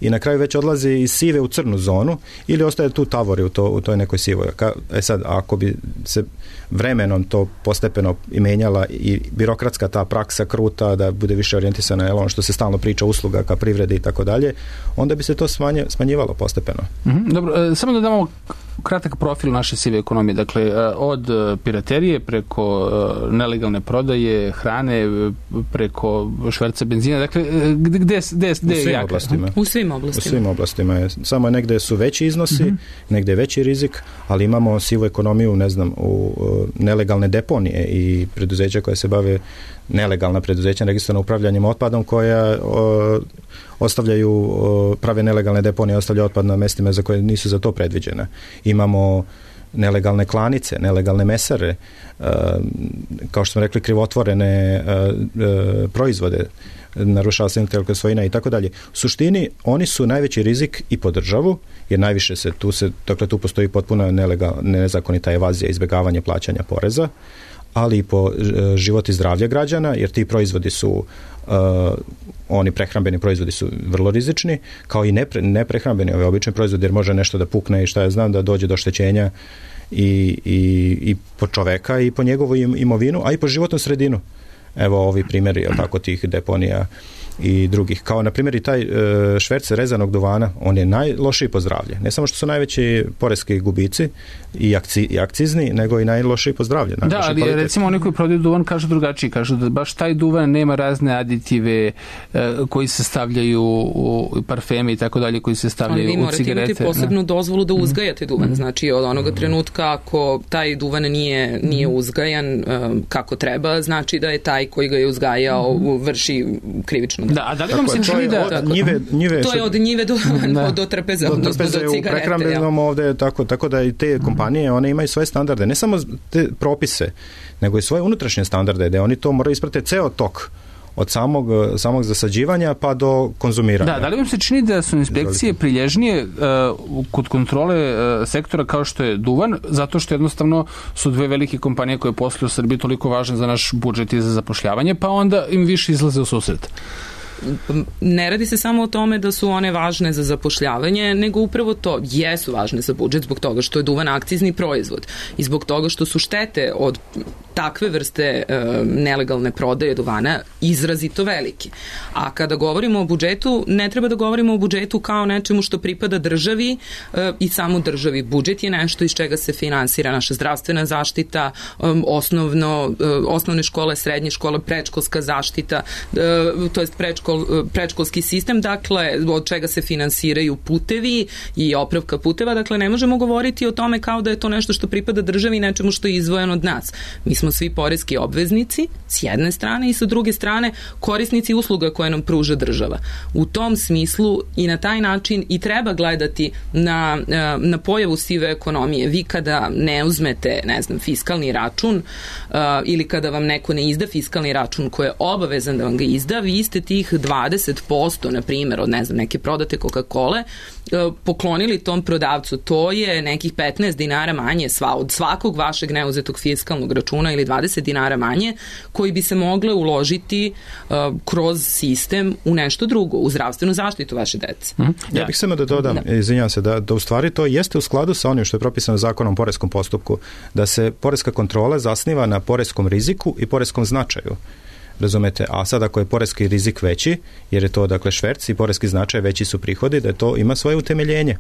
A: i na kraju već odlazi iz sive u crnu zonu ili ostaje tu tavori u, to, u toj nekoj sivoj. Ka, e sad, ako bi se vremenom to postepeno i menjala i birokratska ta praksa kruta da bude više orijentisana na ono što se stalno priča usluga ka privredi i tako dalje, onda bi se to smanje, smanjivalo postepeno.
E: Mm-hmm. Dobro, samo da damo kratak profil naše sive ekonomije. Dakle, od piraterije preko nelegalne prodaje, hrane, preko šverca benzina. Dakle, gde, gde, gde, gde
A: u svim
E: je
A: oblastima.
C: U svim oblastima.
A: U svim oblastima. Je. Samo negde su veći iznosi, mm-hmm. negde je veći rizik, ali imamo sivu ekonomiju, ne znam, u nelegalne deponije i preduzeća koje se bave nelegalna preduzeća registrovana upravljanjem otpadom koja o, ostavljaju, o, prave nelegalne deponije, ostavljaju otpad na mestima za koje nisu za to predviđene. Imamo nelegalne klanice, nelegalne mesare, e, kao što smo rekli, krivotvorene e, e, proizvode, narušava se intelektualna svojina i tako dalje. U suštini, oni su najveći rizik i po državu, jer najviše se tu se, dakle tu postoji potpuno nelegal, nezakonita evazija, izbjegavanje plaćanja poreza, ali i po život i zdravlje građana, jer ti proizvodi su uh, oni prehrambeni proizvodi su vrlo rizični, kao i nepre, neprehrambeni, ove obični proizvodi, jer može nešto da pukne i šta ja znam, da dođe do oštećenja i, i, i po čoveka i po njegovu imovinu, a i po životnu sredinu. Evo ovi primjeri, tako, tih deponija i drugih. Kao na primjer i taj e, šverc rezanog duvana, on je najlošiji po zdravlje. Ne samo što su najveći poreski gubici i, akci, i akcizni, nego i najlošiji po zdravlje.
E: Da, ali kvalitet. Recimo oni koji prodaju duvan kažu drugačiji, kažu da baš taj duvan nema razne aditive e, koji se stavljaju u parfeme i tako dalje, koji se stavljaju u cigarete.
C: Ali vi morate imati posebnu da. dozvolu da uzgajate duvan. Mm. Znači od onoga mm. trenutka ako taj duvan nije, nije uzgajan um, kako treba, znači da je taj koji ga je uzgajao mm. vrši krivično.
E: Da, a da li vam se čini da...
A: Od njive, njive,
C: to je od njive do, da. do trapeza,
A: do, trapeza do cigarete. U prehrambenom ovde, tako, tako da i te kompanije, one imaju svoje standarde, ne samo te propise, nego i svoje unutrašnje standarde, da oni to moraju isprate ceo tok od samog, samog zasađivanja pa do konzumiranja.
E: Da, da li vam se čini da su inspekcije prilježnije uh, kod kontrole uh, sektora kao što je duvan, zato što jednostavno su dve velike kompanije koje posluju u Srbiji toliko važne za naš budžet i za zapošljavanje, pa onda im više izlaze u susret?
C: Ne radi se samo o tome da su one važne za zapošljavanje, nego upravo to, jesu važne za budžet zbog toga što je duvan akcizni proizvod i zbog toga što su štete od takve vrste e, nelegalne prodaje duvana izrazito velike. A kada govorimo o budžetu, ne treba da govorimo o budžetu kao nečemu što pripada državi e, i samo državi. Budžet je nešto iz čega se finansira naša zdravstvena zaštita, e, osnovno, e, osnovne škole, srednje škole, predškolska zaštita, e, to jest predškol, predškolski sistem, dakle, od čega se finansiraju putevi i opravka puteva, dakle, ne možemo govoriti o tome kao da je to nešto što pripada državi i nečemu što je izdvojeno od nas. Mi smo svi poreski obveznici s jedne strane i sa druge strane korisnici usluga koje nam pruža država. U tom smislu i na taj način i treba gledati na, na pojavu sive ekonomije. Vi kada ne uzmete, ne znam, fiskalni račun uh, ili kada vam neko ne izda fiskalni račun koji je obavezan da vam ga izda, vi ste tih dvadeset posto, na primjer, od ne znam, neke prodate Coca-Cola, poklonili tom prodavcu. To je nekih petnaest dinara manje sva, od svakog vašeg neuzetog fiskalnog računa ili dvadeset dinara manje koji bi se mogle uložiti uh, kroz sistem u nešto drugo, u zdravstvenu zaštitu vaše dece.
A: Mm. Ja. ja bih samo da dodam, da. izvinjam se, da, da u stvari to jeste u skladu sa onim što je propisano zakonom o poreskom postupku, da se poreska kontrola zasniva na poreskom riziku i poreskom značaju. Razumete, a sad ako je poreski rizik veći, jer je to dakle šverc i poreski značaj veći su prihodi, da je to ima svoje utemeljenje.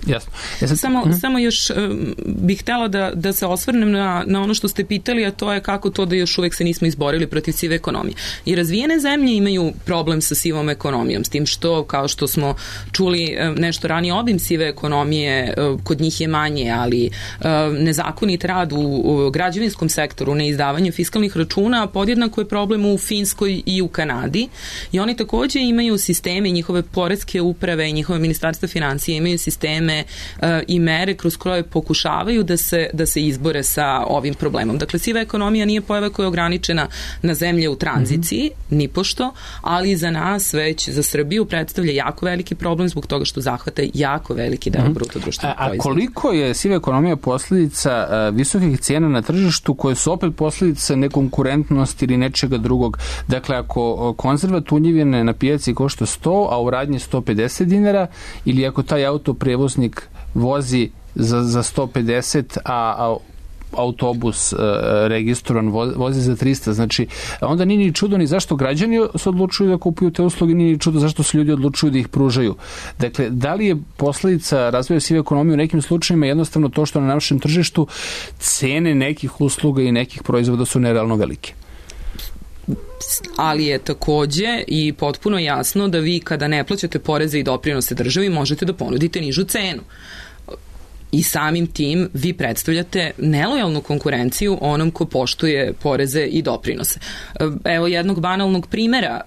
E: Jasno.
C: Ja sam... Samo, uh-huh. samo još um, bih htjela da, da se osvrnem na, na ono što ste pitali, a to je kako to da još uvek se nismo izborili protiv sive ekonomije. I razvijene zemlje imaju problem sa sivom ekonomijom, s tim što, kao što smo čuli nešto ranije, obim sive ekonomije kod njih je manje, ali nezakonit rad u, u građevinskom sektoru, neizdavanje fiskalnih računa, podjednako je problem u Finskoj i u Kanadi. I oni takođe imaju sisteme, njihove poreske uprave i njihove ministarstva financije imaju sisteme i mere kroz koje pokušavaju da se, da se izbore sa ovim problemom. Dakle, siva ekonomija nije pojava koja je ograničena na zemlje u tranziciji, mm-hmm. nipošto, ali za nas već, za Srbiju predstavlja jako veliki problem zbog toga što zahvata jako veliki deo mm-hmm. bruto društvenog proizvoda.
E: A koliko je siva ekonomija posljedica uh, visokih cijena na tržištu koje su opet posljedica nekonkurentnosti ili nečega drugog? Dakle, ako konzerva tunjevine na pijaci košta sto, a u radnji sto pedeset dinara, ili ako taj auto prevoznik vozi za, za sto pedeset, a, a autobus e, registrovan vozi za trista, znači onda nije ni čudo ni zašto građani se odlučuju da kupuju te usluge, nije ni čudo zašto se ljudi odlučuju da ih pružaju. Dakle, da li je posljedica razvoja sive ekonomije u nekim slučajima jednostavno to što na našem tržištu cene nekih usluga i nekih proizvoda su nerealno velike?
C: Ali je takođe i potpuno jasno da vi kada ne plaćate poreze i doprinose državi možete da ponudite nižu cenu. I samim tim vi predstavljate nelojalnu konkurenciju onom ko poštuje poreze i doprinose. Evo jednog banalnog primjera,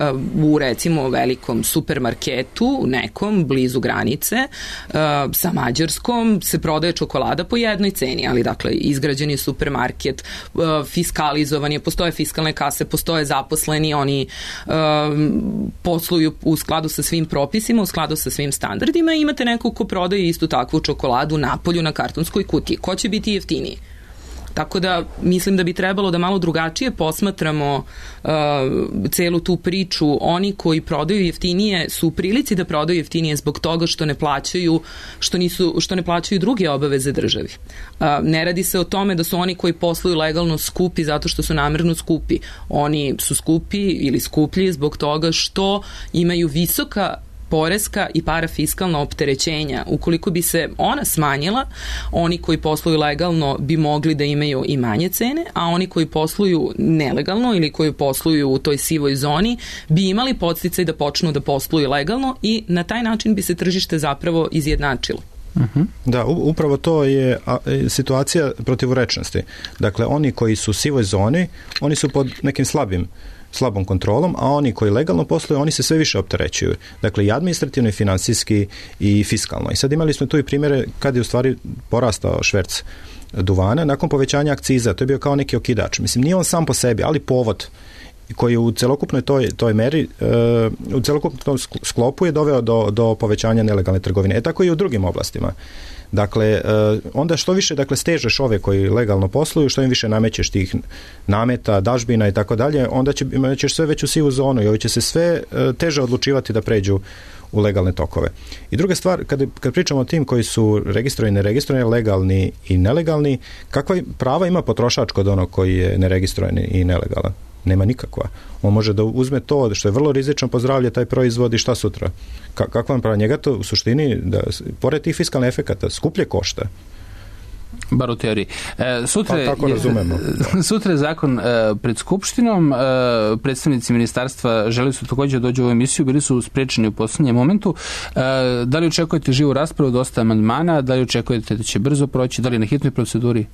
C: u recimo velikom supermarketu, nekom blizu granice, sa Mađarskom se prodaje čokolada po jednoj ceni, ali dakle izgrađen je supermarket, fiskalizovan je, postoje fiskalne kase, postoje zaposleni, oni posluju u skladu sa svim propisima, u skladu sa svim standardima i imate nekog ko prodaje istu takvu čokoladu napolju na kartonskoj kutiji. Ko će biti jeftiniji? Tako da mislim da bi trebalo da malo drugačije posmatramo uh, celu tu priču. Oni koji prodaju jeftinije su u prilici da prodaju jeftinije zbog toga što ne plaćaju što nisu što ne plaćaju druge obaveze državi. Uh, ne radi se o tome da su oni koji posluju legalno skupi zato što su namerno skupi. Oni su skupi ili skuplji zbog toga što imaju visoka poreska i parafiskalna opterećenja. Ukoliko bi se ona smanjila, oni koji posluju legalno bi mogli da imaju i manje cene, a oni koji posluju nelegalno ili koji posluju u toj sivoj zoni bi imali podsticaj da počnu da posluju legalno i na taj način bi se tržište zapravo izjednačilo.
A: Uh-huh. Da, upravo to je situacija protivrečnosti. Dakle, oni koji su u sivoj zoni, oni su pod nekim slabim slabom kontrolom, a oni koji legalno posluju, oni se sve više opterećuju. Dakle, i administrativno, i finansijski, i fiskalno. I sad imali smo tu i primjere kad je u stvari porastao šverc duvana nakon povećanja akciza. To je bio kao neki okidač. Mislim, nije on sam po sebi, ali povod koji u celokupnoj toj, toj meri, u celokupnom sklopu je doveo do, do povećanja nelegalne trgovine. E tako i u drugim oblastima. Dakle, onda što više dakle, stežeš ove koji legalno posluju, što im više namećeš tih nameta, dažbina i tako dalje, onda će, ćeš sve već u sivu zonu i ovi će se sve teže odlučivati da pređu u legalne tokove. I druga stvar, kad, kad pričamo o tim koji su registrovani i neregistrovani, legalni i nelegalni, kakva prava ima potrošač kod onog koji je neregistrovan i nelegalan? Nema nikakva. On može da uzme to što je vrlo rizično po zdravlje taj proizvod i šta sutra. Ka- kakva vam prava? Njega to u suštini, da, pored tih fiskalnih efekata, skuplje košta.
E: Bar u teoriji. E, sutra,
A: pa tako razumemo.
E: Sutra je zakon e, pred Skupštinom. E, predstavnici ministarstva želi su također da dođu u ovu emisiju, bili su sprečeni u poslednjem momentu. E, da li očekujete živu raspravu, dosta amandmana, da li očekujete da će brzo proći, da li je na hitnoj proceduri?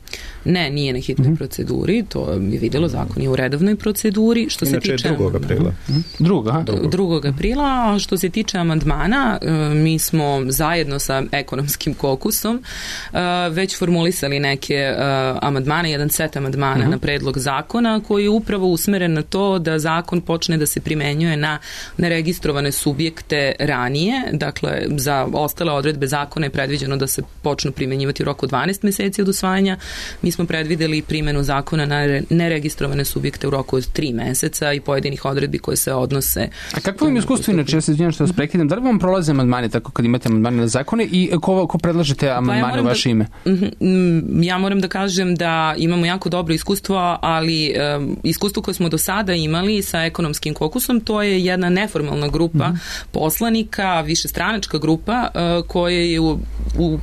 C: Ne, nije na hitnoj mm-hmm. proceduri, to je vidjelo, zakon je u redovnoj proceduri. Što
A: Inače
C: se tiče
A: drugog aprila.
E: Druga,
C: drugog aprila, a što se tiče amandmana, mi smo zajedno sa ekonomskim kokusom već formulisali neke uh, amandmane, jedan set amandmana uh-huh. na predlog zakona koji je upravo usmeren na to da zakon počne da se primenjuje na neregistrovane subjekte ranije. Dakle, za ostale odredbe zakona je predviđeno da se počnu primenjivati u roku dvanaest meseci od usvajanja. Mi smo predvideli primjenu zakona na neregistrovane subjekte u roku od tri meseca i pojedinih odredbi koje se odnose.
E: A kakvo vam iskustvo inače, ja se izvinjam što vas prekidam, da li vam prolaze amandmani tako kad imate amandmane na zakone i ko, ko predlažete amandmane pa ja u vaše da, ime?
C: Ja moram da kažem da imamo jako dobro iskustvo, ali um, iskustvo koje smo do sada imali sa ekonomskim kokusom, to je jedna neformalna grupa mm-hmm. poslanika, višestranačka grupa uh, koja je u, u,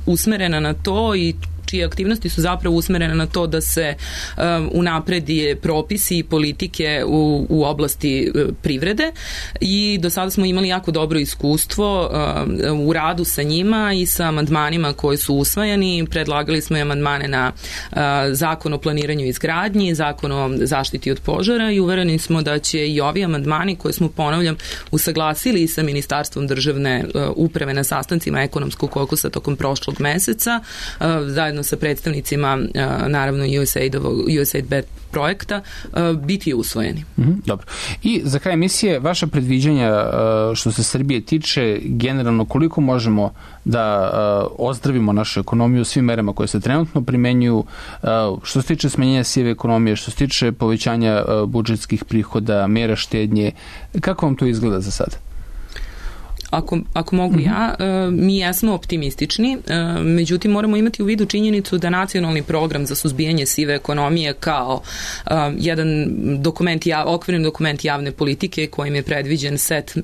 C: usmerena na to i čije aktivnosti su zapravo usmerene na to da se um, unapredi propisi i politike u, u oblasti uh, privrede i do sada smo imali jako dobro iskustvo um, u radu sa njima i sa amandmanima koji su usvajani. Predlagali smo i amandmane na uh, zakon o planiranju i izgradnji, zakon o zaštiti od požara i uvereni smo da će i ovi amandmani koje smo, ponavljam, usaglasili i sa Ministarstvom državne uh, uprave na sastancima ekonomskog kokusa tokom prošlog meseca, uh, zajedno sa predstavnicima naravno U S A I D-ovog U S A I D projekta biti usvojeni.
E: Mm-hmm, dobro. I za kraj emisije, vaša predviđanja što se Srbije tiče, generalno koliko možemo da ozdravimo našu ekonomiju svim merama koje se trenutno primenjuju, što se tiče smanjenja sive ekonomije, što se tiče povećanja budžetskih prihoda, mera štednje, kako vam to izgleda za sada?
C: Ako, ako mogu mm-hmm. ja, mi jesmo optimistični, međutim moramo imati u vidu činjenicu da nacionalni program za suzbijanje sive ekonomije kao jedan dokument, okvirni dokument javne politike kojim je predviđen set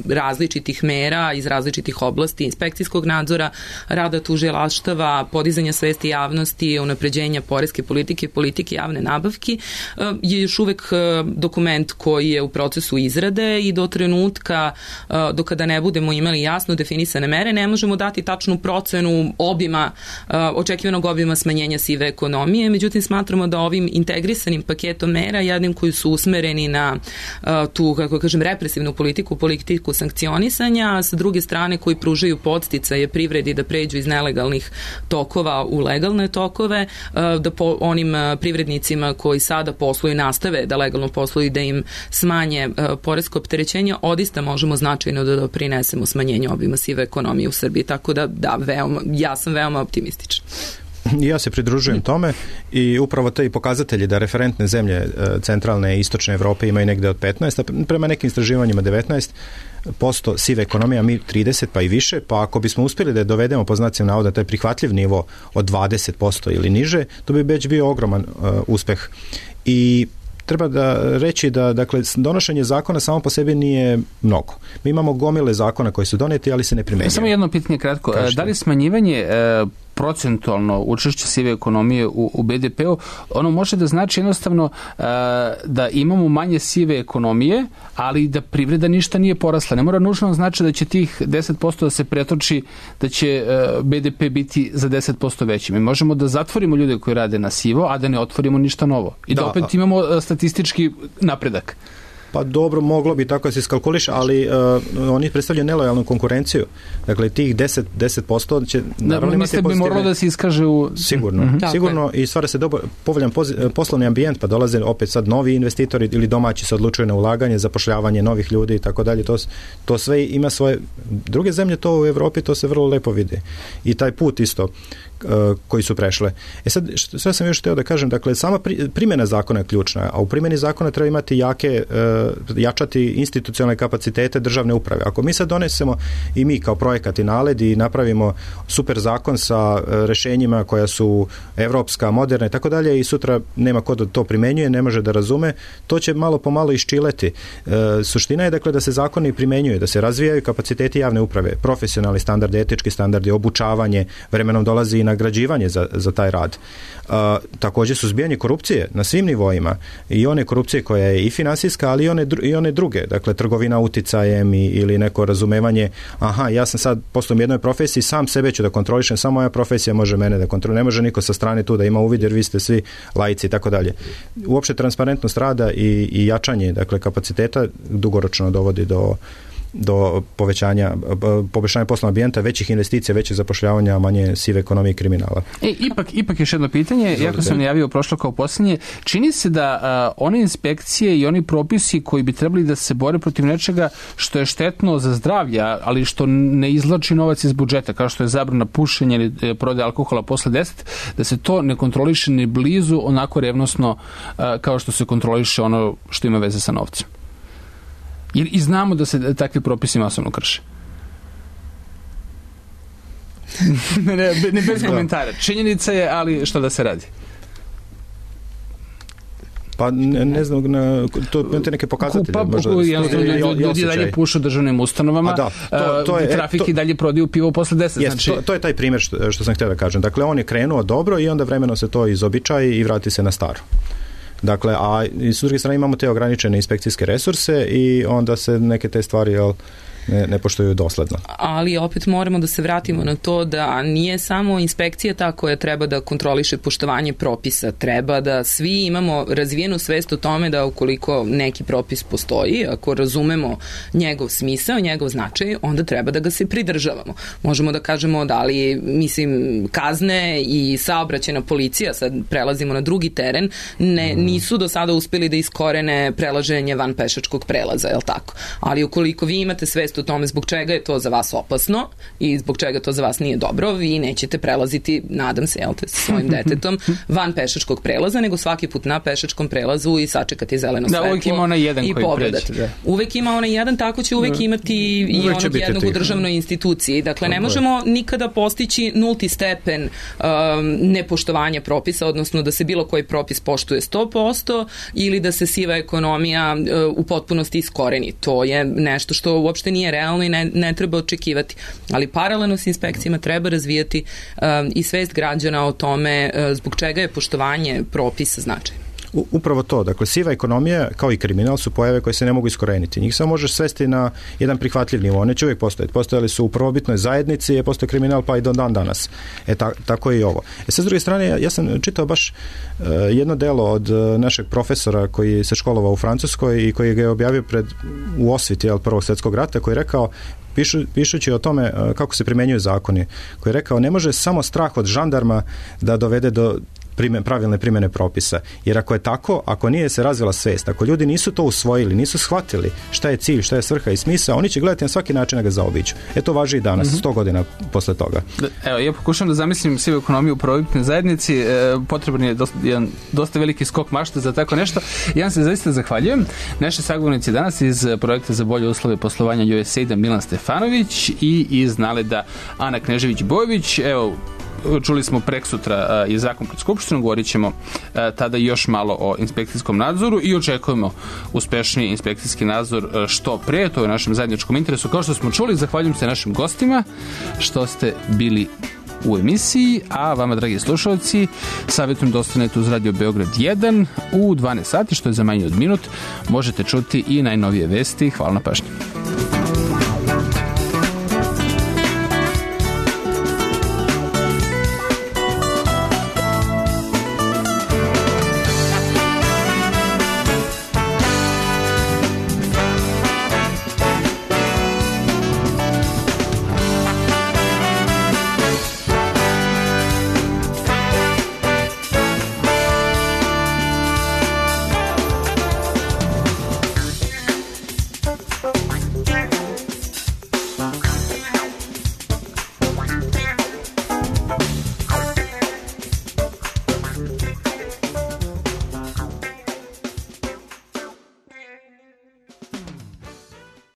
C: različitih mera iz različitih oblasti, inspekcijskog nadzora, rada tužilaštava, podizanja svesti javnosti, unapređenja poreske politike, politike javne nabavki, je još uvek dokument koji je u procesu izrade i do trenutka, do kada ne bude budemo imali jasno definisane mere, ne možemo dati tačnu procenu obima, očekivanog obima smanjenja sive ekonomije, međutim smatramo da ovim integrisanim paketom mera, jednim koji su usmereni na tu, kako kažem, represivnu politiku, politiku sankcionisanja, a sa druge strane koji pružaju podsticaje privredi da pređu iz nelegalnih tokova u legalne tokove, da po onim privrednicima koji sada posluju nastave da legalno posluju, da im smanje poresko opterećenje, odista možemo značajno da doprinesemo smanjenju obima sive ekonomije u Srbiji, tako da da, veoma, ja sam veoma optimistična.
A: Ja se pridružujem tome i upravo te i pokazatelji da referentne zemlje centralne i istočne Evrope imaju negde od petnaest, a prema nekim istraživanjima devetnaest posto sive ekonomije, a mi trideset pa i više, pa ako bismo uspjeli da je dovedemo po znacima navoda taj prihvatljiv nivo od dvadeset posto ili niže, to bi već bio ogroman uh, uspeh. I treba da reći da dakle, donošenje zakona samo po sebi nije mnogo. Mi imamo gomile zakona koji su doneti, ali se ne primjenjuju.
E: Samo jedno pitanje kratko. Kažete. Da li smanjivanje e, procentualno učešće sive ekonomije u, u be de peu, ono može da znači jednostavno e, da imamo manje sive ekonomije, ali da privreda ništa nije porasla. Ne mora nužno znači da će tih deset posto da se pretoči, da će e, be de pe biti za deset posto veći. Mi možemo da zatvorimo ljude koji rade na sivo, a da ne otvorimo ništa novo. I da, da opet imamo statistički napredak.
A: Pa dobro, moglo bi tako da se iskalkuliše, ali uh, oni predstavljaju nelojalnu konkurenciju. Dakle, tih deset posto će naravno imati pozitivne...
E: bi moralo da se iskaže u...
A: Sigurno, mm-hmm. sigurno i stvara se dobar, povoljan poz, poslovni ambijent, pa dolaze opet sad novi investitori ili domaći se odlučuju na ulaganje, zapošljavanje novih ljudi i tako dalje. To, to sve ima svoje... Druge zemlje to u Evropi, to se vrlo lepo vidi. I taj put isto koji su prešle. E sad, sve sam još htio da kažem, dakle, sama primjena zakona je ključna, a u primjeni zakona treba imati jake, jačati institucionalne kapacitete državne uprave. Ako mi sad donesemo i mi kao projekat i naled i napravimo super zakon sa rešenjima koja su evropska, moderna i tako dalje i sutra nema ko da to primenjuje, ne može da razume, to će malo po malo iščileti. Suština je, dakle, da se zakoni primenjuju, da se razvijaju kapaciteti javne uprave, profesionalni standardi, etički standardi, obučavanje, vremenom dolazi i nagrađivanje za, za taj rad. Uh, također suzbijanje korupcije na svim nivoima i one korupcije koja je i finansijska, ali i one, i one druge, dakle trgovina uticajem i, ili neko razumevanje, aha, ja sam sad posle u jednoj profesiji, sam sebe ću da kontrolišem, samo moja profesija može mene da kontroliše, ne može niko sa strane tu da ima uvid jer vi ste svi laici i tako dalje. Uopšte transparentnost rada i, i jačanje, dakle kapaciteta dugoročno dovodi do do povećanja, poboljšanja poslovnog ambijenta, većih investicija, većih zapošljavanja, manje sive ekonomije i kriminala.
E: E, ipak, ipak još jedno pitanje, jako sam najavio prošlo kao posljednje, čini se da a, one inspekcije i oni propisi koji bi trebali da se bore protiv nečega što je štetno za zdravlje, ali što ne izvlači novac iz budžeta, kao što je zabrana pušenja ili prodaje alkohola posle deset, da se to ne kontroliše ni blizu onako revnosno a, kao što se kontroliše ono što ima veze sa novcem. I, i znamo da se takvi propisi masovno krše. ne, ne, ne bez komentara. Činjenica je, ali što da se radi?
A: Pa ne, ne znam, na, to imate neke pokazatelje.
E: Pa,
A: možda,
E: ljudi, ljudi, ljudi dalje pušu državnim ustanovama, da, to, to je, trafik i dalje prodaju pivo posle deset.
A: Jest,
E: znači...
A: to, to je taj primjer što, što sam htio da kažem. Dakle, on je krenuo dobro i onda vremeno se to izobičaji i vrati se na staro. Dakle, a s druge strane imamo te ograničene inspekcijske resurse i onda se neke te stvari jel, ne, ne poštuju dosledno.
C: Ali opet moramo da se vratimo na to da nije samo inspekcija ta koja treba da kontroliše poštovanje propisa. Treba da svi imamo razvijenu svest o tome da ukoliko neki propis postoji, ako razumemo njegov smisao, njegov značaj, onda treba da ga se pridržavamo. Možemo da kažemo da li, mislim, kazne i saobraćajna policija, sad prelazimo na drugi teren, ne, nisu do sada uspeli da iskorene prelaženje van pešačkog prelaza, je li tako? Ali ukoliko vi imate svest o tome zbog čega je to za vas opasno i zbog čega to za vas nije dobro, vi nećete prelaziti, nadam se, jel te, sa svojim detetom van pešačkog prelaza, nego svaki put na pešačkom prelazu i sačekati zeleno
E: da,
C: svetlo.
E: Da, uvek ima onaj jedan koji pređe. Da.
C: Uvek ima onaj jedan, tako će uvek imati i uvek onog jednog u državnoj instituciji. Dakle, ne možemo nikada postići nulti stepen um, nepoštovanja propisa, odnosno da se bilo koji propis poštuje sto posto ili da se siva ekonomija uh, u potpunosti iskoreni. To je nešto što uopšte nije realno i ne, ne treba očekivati. Ali paralelno s inspekcijama treba razvijati um, i svest građana o tome uh, zbog čega je poštovanje propisa značajno.
A: U, upravo to, dakle, siva ekonomija kao i kriminal su pojave koje se ne mogu iskoreniti. Njih samo možeš svesti na jedan prihvatljiv nivo. One će uvijek postojati. Postojali su u prvobitnoj zajednici, je postoje kriminal pa i do dan danas. E, ta, tako i ovo. E, sad, s druge strane, ja, ja sam čitao baš uh, jedno delo od uh, našeg profesora koji se školovao u Francuskoj i koji ga je objavio pred, u osviti jel, Prvog svjetskog rata, koji je rekao, Pišu, pišući o tome uh, kako se primenjuju zakoni, koji je rekao, ne može samo strah od žandarma da dovede do primjen, pravilne primjene propisa. Jer ako je tako, ako nije se razvila svest, ako ljudi nisu to usvojili, nisu shvatili šta je cilj, šta je svrha i smisao, oni će gledati na svaki način da ga zaobiđu. E to važi i danas, mm-hmm. sto godina posle toga.
E: Evo, ja pokušam da zamislim sivu ekonomiju u prvobitnoj zajednici, e, potreban je dosta, jedan dosta veliki skok mašte za tako nešto. Ja vam se zaista zahvaljujem. Naši sagovornici danas iz projekta za bolje uslove poslovanja U S A I D-a Milan Stefanović i iz Naleda Ana Knežević-Bojović. Evo, čuli smo preksutra uh, je zakon pred Skupštinom, govorit ćemo uh, tada još malo o inspekcijskom nadzoru i očekujemo uspešniji inspekcijski nadzor uh, što pre, to je u našem zajedničkom interesu. Kao što smo čuli, zahvaljujem se našim gostima što ste bili u emisiji, a vama, dragi slušalci, savjetujem da ostanete uz Radio Beograd jedan u dvanaest sati, što je za manje od minut. Možete čuti i najnovije vesti. Hvala na pažnju.